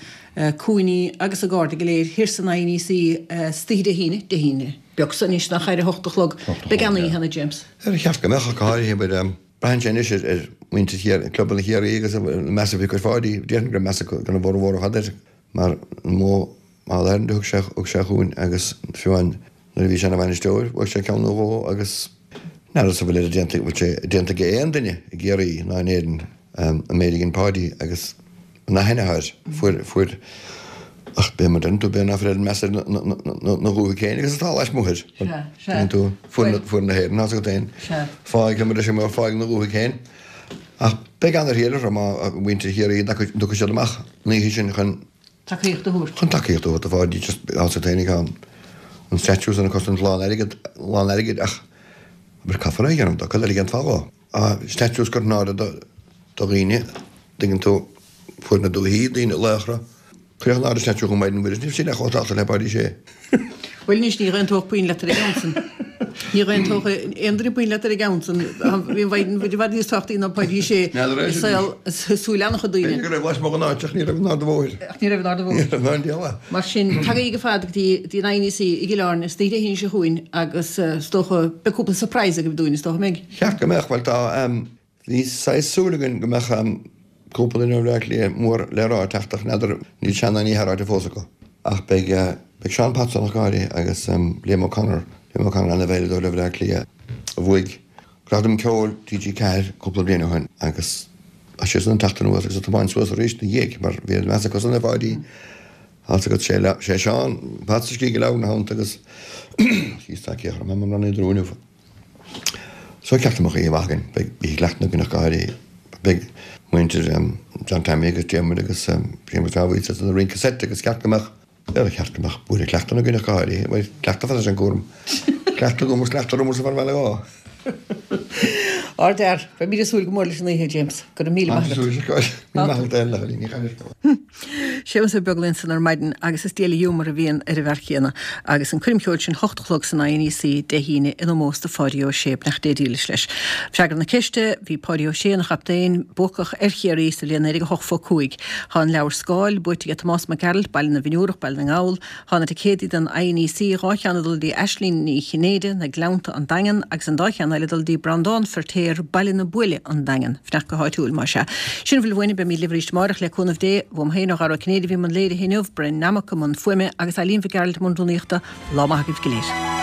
Cooney agus a gcairde go léir thiar san INEC istoíche Dé hAoine, Dé hAoine beag so anois nach ar a hocht a chlog. Beidh an-oíche ann, a James. Ar cheart go mbeadh ach go háirithe but braitheann sé anois ar mhuintir Chiarraí, clubanna Chiarraí agus an meas a bhí acu ar Pháidí, déarfainn go raibh meas acu don bhformhór ar fad air mar an modh All Ireland a thug sé thug sé chugainn agus fiú amháin nuair a bhí sé ina bhainisteoir bhuaigh sé ceann nó dhó agus n'fheadar an bhfuil oiread déanta bhfuil sé déanta ag aon duine i gCiarraí ná in Éirinn an méid a dhein Páidí agus an aithne atá air fuair fuair ach b'é mar deireann tú b'é ná fuil oiread meas air na dhúthaigh féin agus atá lasmuigh air Sea, sea. Tuigeann tú fuair fuair na hÉireann as agat féin Sea. fáidh mar is mar fáidh na dhúthaigh féin ach beidh an-thriail orthu má mhuintir Chiarraí an dtiocfaidh siad amach an oíche sin chun Tacaíocht a thabhairt. Chun tacaíocht a thabhairt do Pháidí just as agat féin an an statue san ag cosaint lán airgead lán airgid ach abair caithfear é a dhéanamh dá cad eile a dhéanfá dhó? Ah statues curtha in airde do do dhaoine dtuigeann tú fuair na dúichí daoine laochra cuireadh in airde statue chomh maith den Mhuiris níl sé chomh tábhachtach le Páidí Sé. Bhuel anois ní dh'aontódh puinn leat ar an gceann san. Ní dh'aontódh aon duine puinn leat ar an gceann san. Bhí an Mhaighdean Mhuire i bhfad níos tábhachtaí ná Páidí Sé N'fheadar é i sin saol anois. i súil an-chuid daoine. B'fhéidir go raibh lasmuigh den áit ach ní raibh in Ard an Bhóthair. Ach ní raibh in Ard an Ní Bhóthair. raibh in Ard an Mar sin, tagaigí ar fad go dtí dtí an INEC i gCill Airne istoíche Dé hAoine seo chugainn agus is dócha beidh cúpla surprise agaibh dúinn is dócha, an mbeidh? Cheart go mbeadh, bhuel tá, bhí saghas súil againn go mbeadh cúpla duine ó Bhleá Cliath mór le rá ag teacht ach n'fheadar, níl sé ná ní hea ráite fós acu. Ach beidh, beidh Seán Potts ann ach go háirithe agus Liam O'Connor, Liam O'Connor ana-veidhleadóir ó Bhleá Cliath a bhuaigh Gradam Ceoil TG Ceathair cúpla bliain ó shin agus tá siadsan ag teacht anuas agus ag tiomáint suas arís ina dhiaidh mar bhí an meas acusan ar Pháidí. Tá 's agat, sé, sé Seán Potts a scrígh an leabhar ina theannta agus síos tá céachar mé mar an inniu. So ceart go mbeadh oíche mhaith againn. Beidh oíche chleachta againn ach go háirithe. Beidh muintir John Tommy agus Diarmuid agus Séamus Dáibhí sa rince seit agus ceart go mbeadh, ar cheart go mbeadh buaile cleachta againn ach go háirithe. Bhuel, cleachtadh fada is an cúram. Cleachtadh agam agus cleachtadh orm ar bhealach dhá. Ardfhear. Beimid ag súil go mór leis an oíche, James. Go raibh míle maith agat. Míle maith agat, a Chailín. Ní chailleann. Séamus Ó Beaglaoich ansan ar maidin agus is diail an ghiúmar a bhíonn ar an bhfear céanna. Agus an coirm cheoil sin hocht a chlog san INEC Dé hAoine in ómós do Pháidí Ó Sé. Beannacht Dé dílis leis. Freagra na ceiste, bhí Páidí Ó Sé ina chaptaen buacach ar Chiarraí sa bhliain naoi déag a hocht phoc cúig. Tá an leabhar Scáil buaite ag Tomás Mac Gearailt, Baile na bhFionnúrach, Baile na nGall. Tá na ticéadaí don INEC, dhá cheann ag dul dtí Aislínn Ní Chinnéide, Na Gleannta, An Daingean, agus an dá cheann eile ag dul dtí Breandán Feirtéar, Baile na Buaile, An Daingean. Fanacht go háitiúil, más ea. Sin a bhfuil uainn, beimid libh arís amárach le cúnamh Dé. Uaim féin ó Dhara Ó Cinnéide a bhí i mbun léirithe inniu, Brian Nammock i mbun fuaime agus Eileen Mhic Gearailt i mbun rúnaíochta. Lá maith agaibh go léir.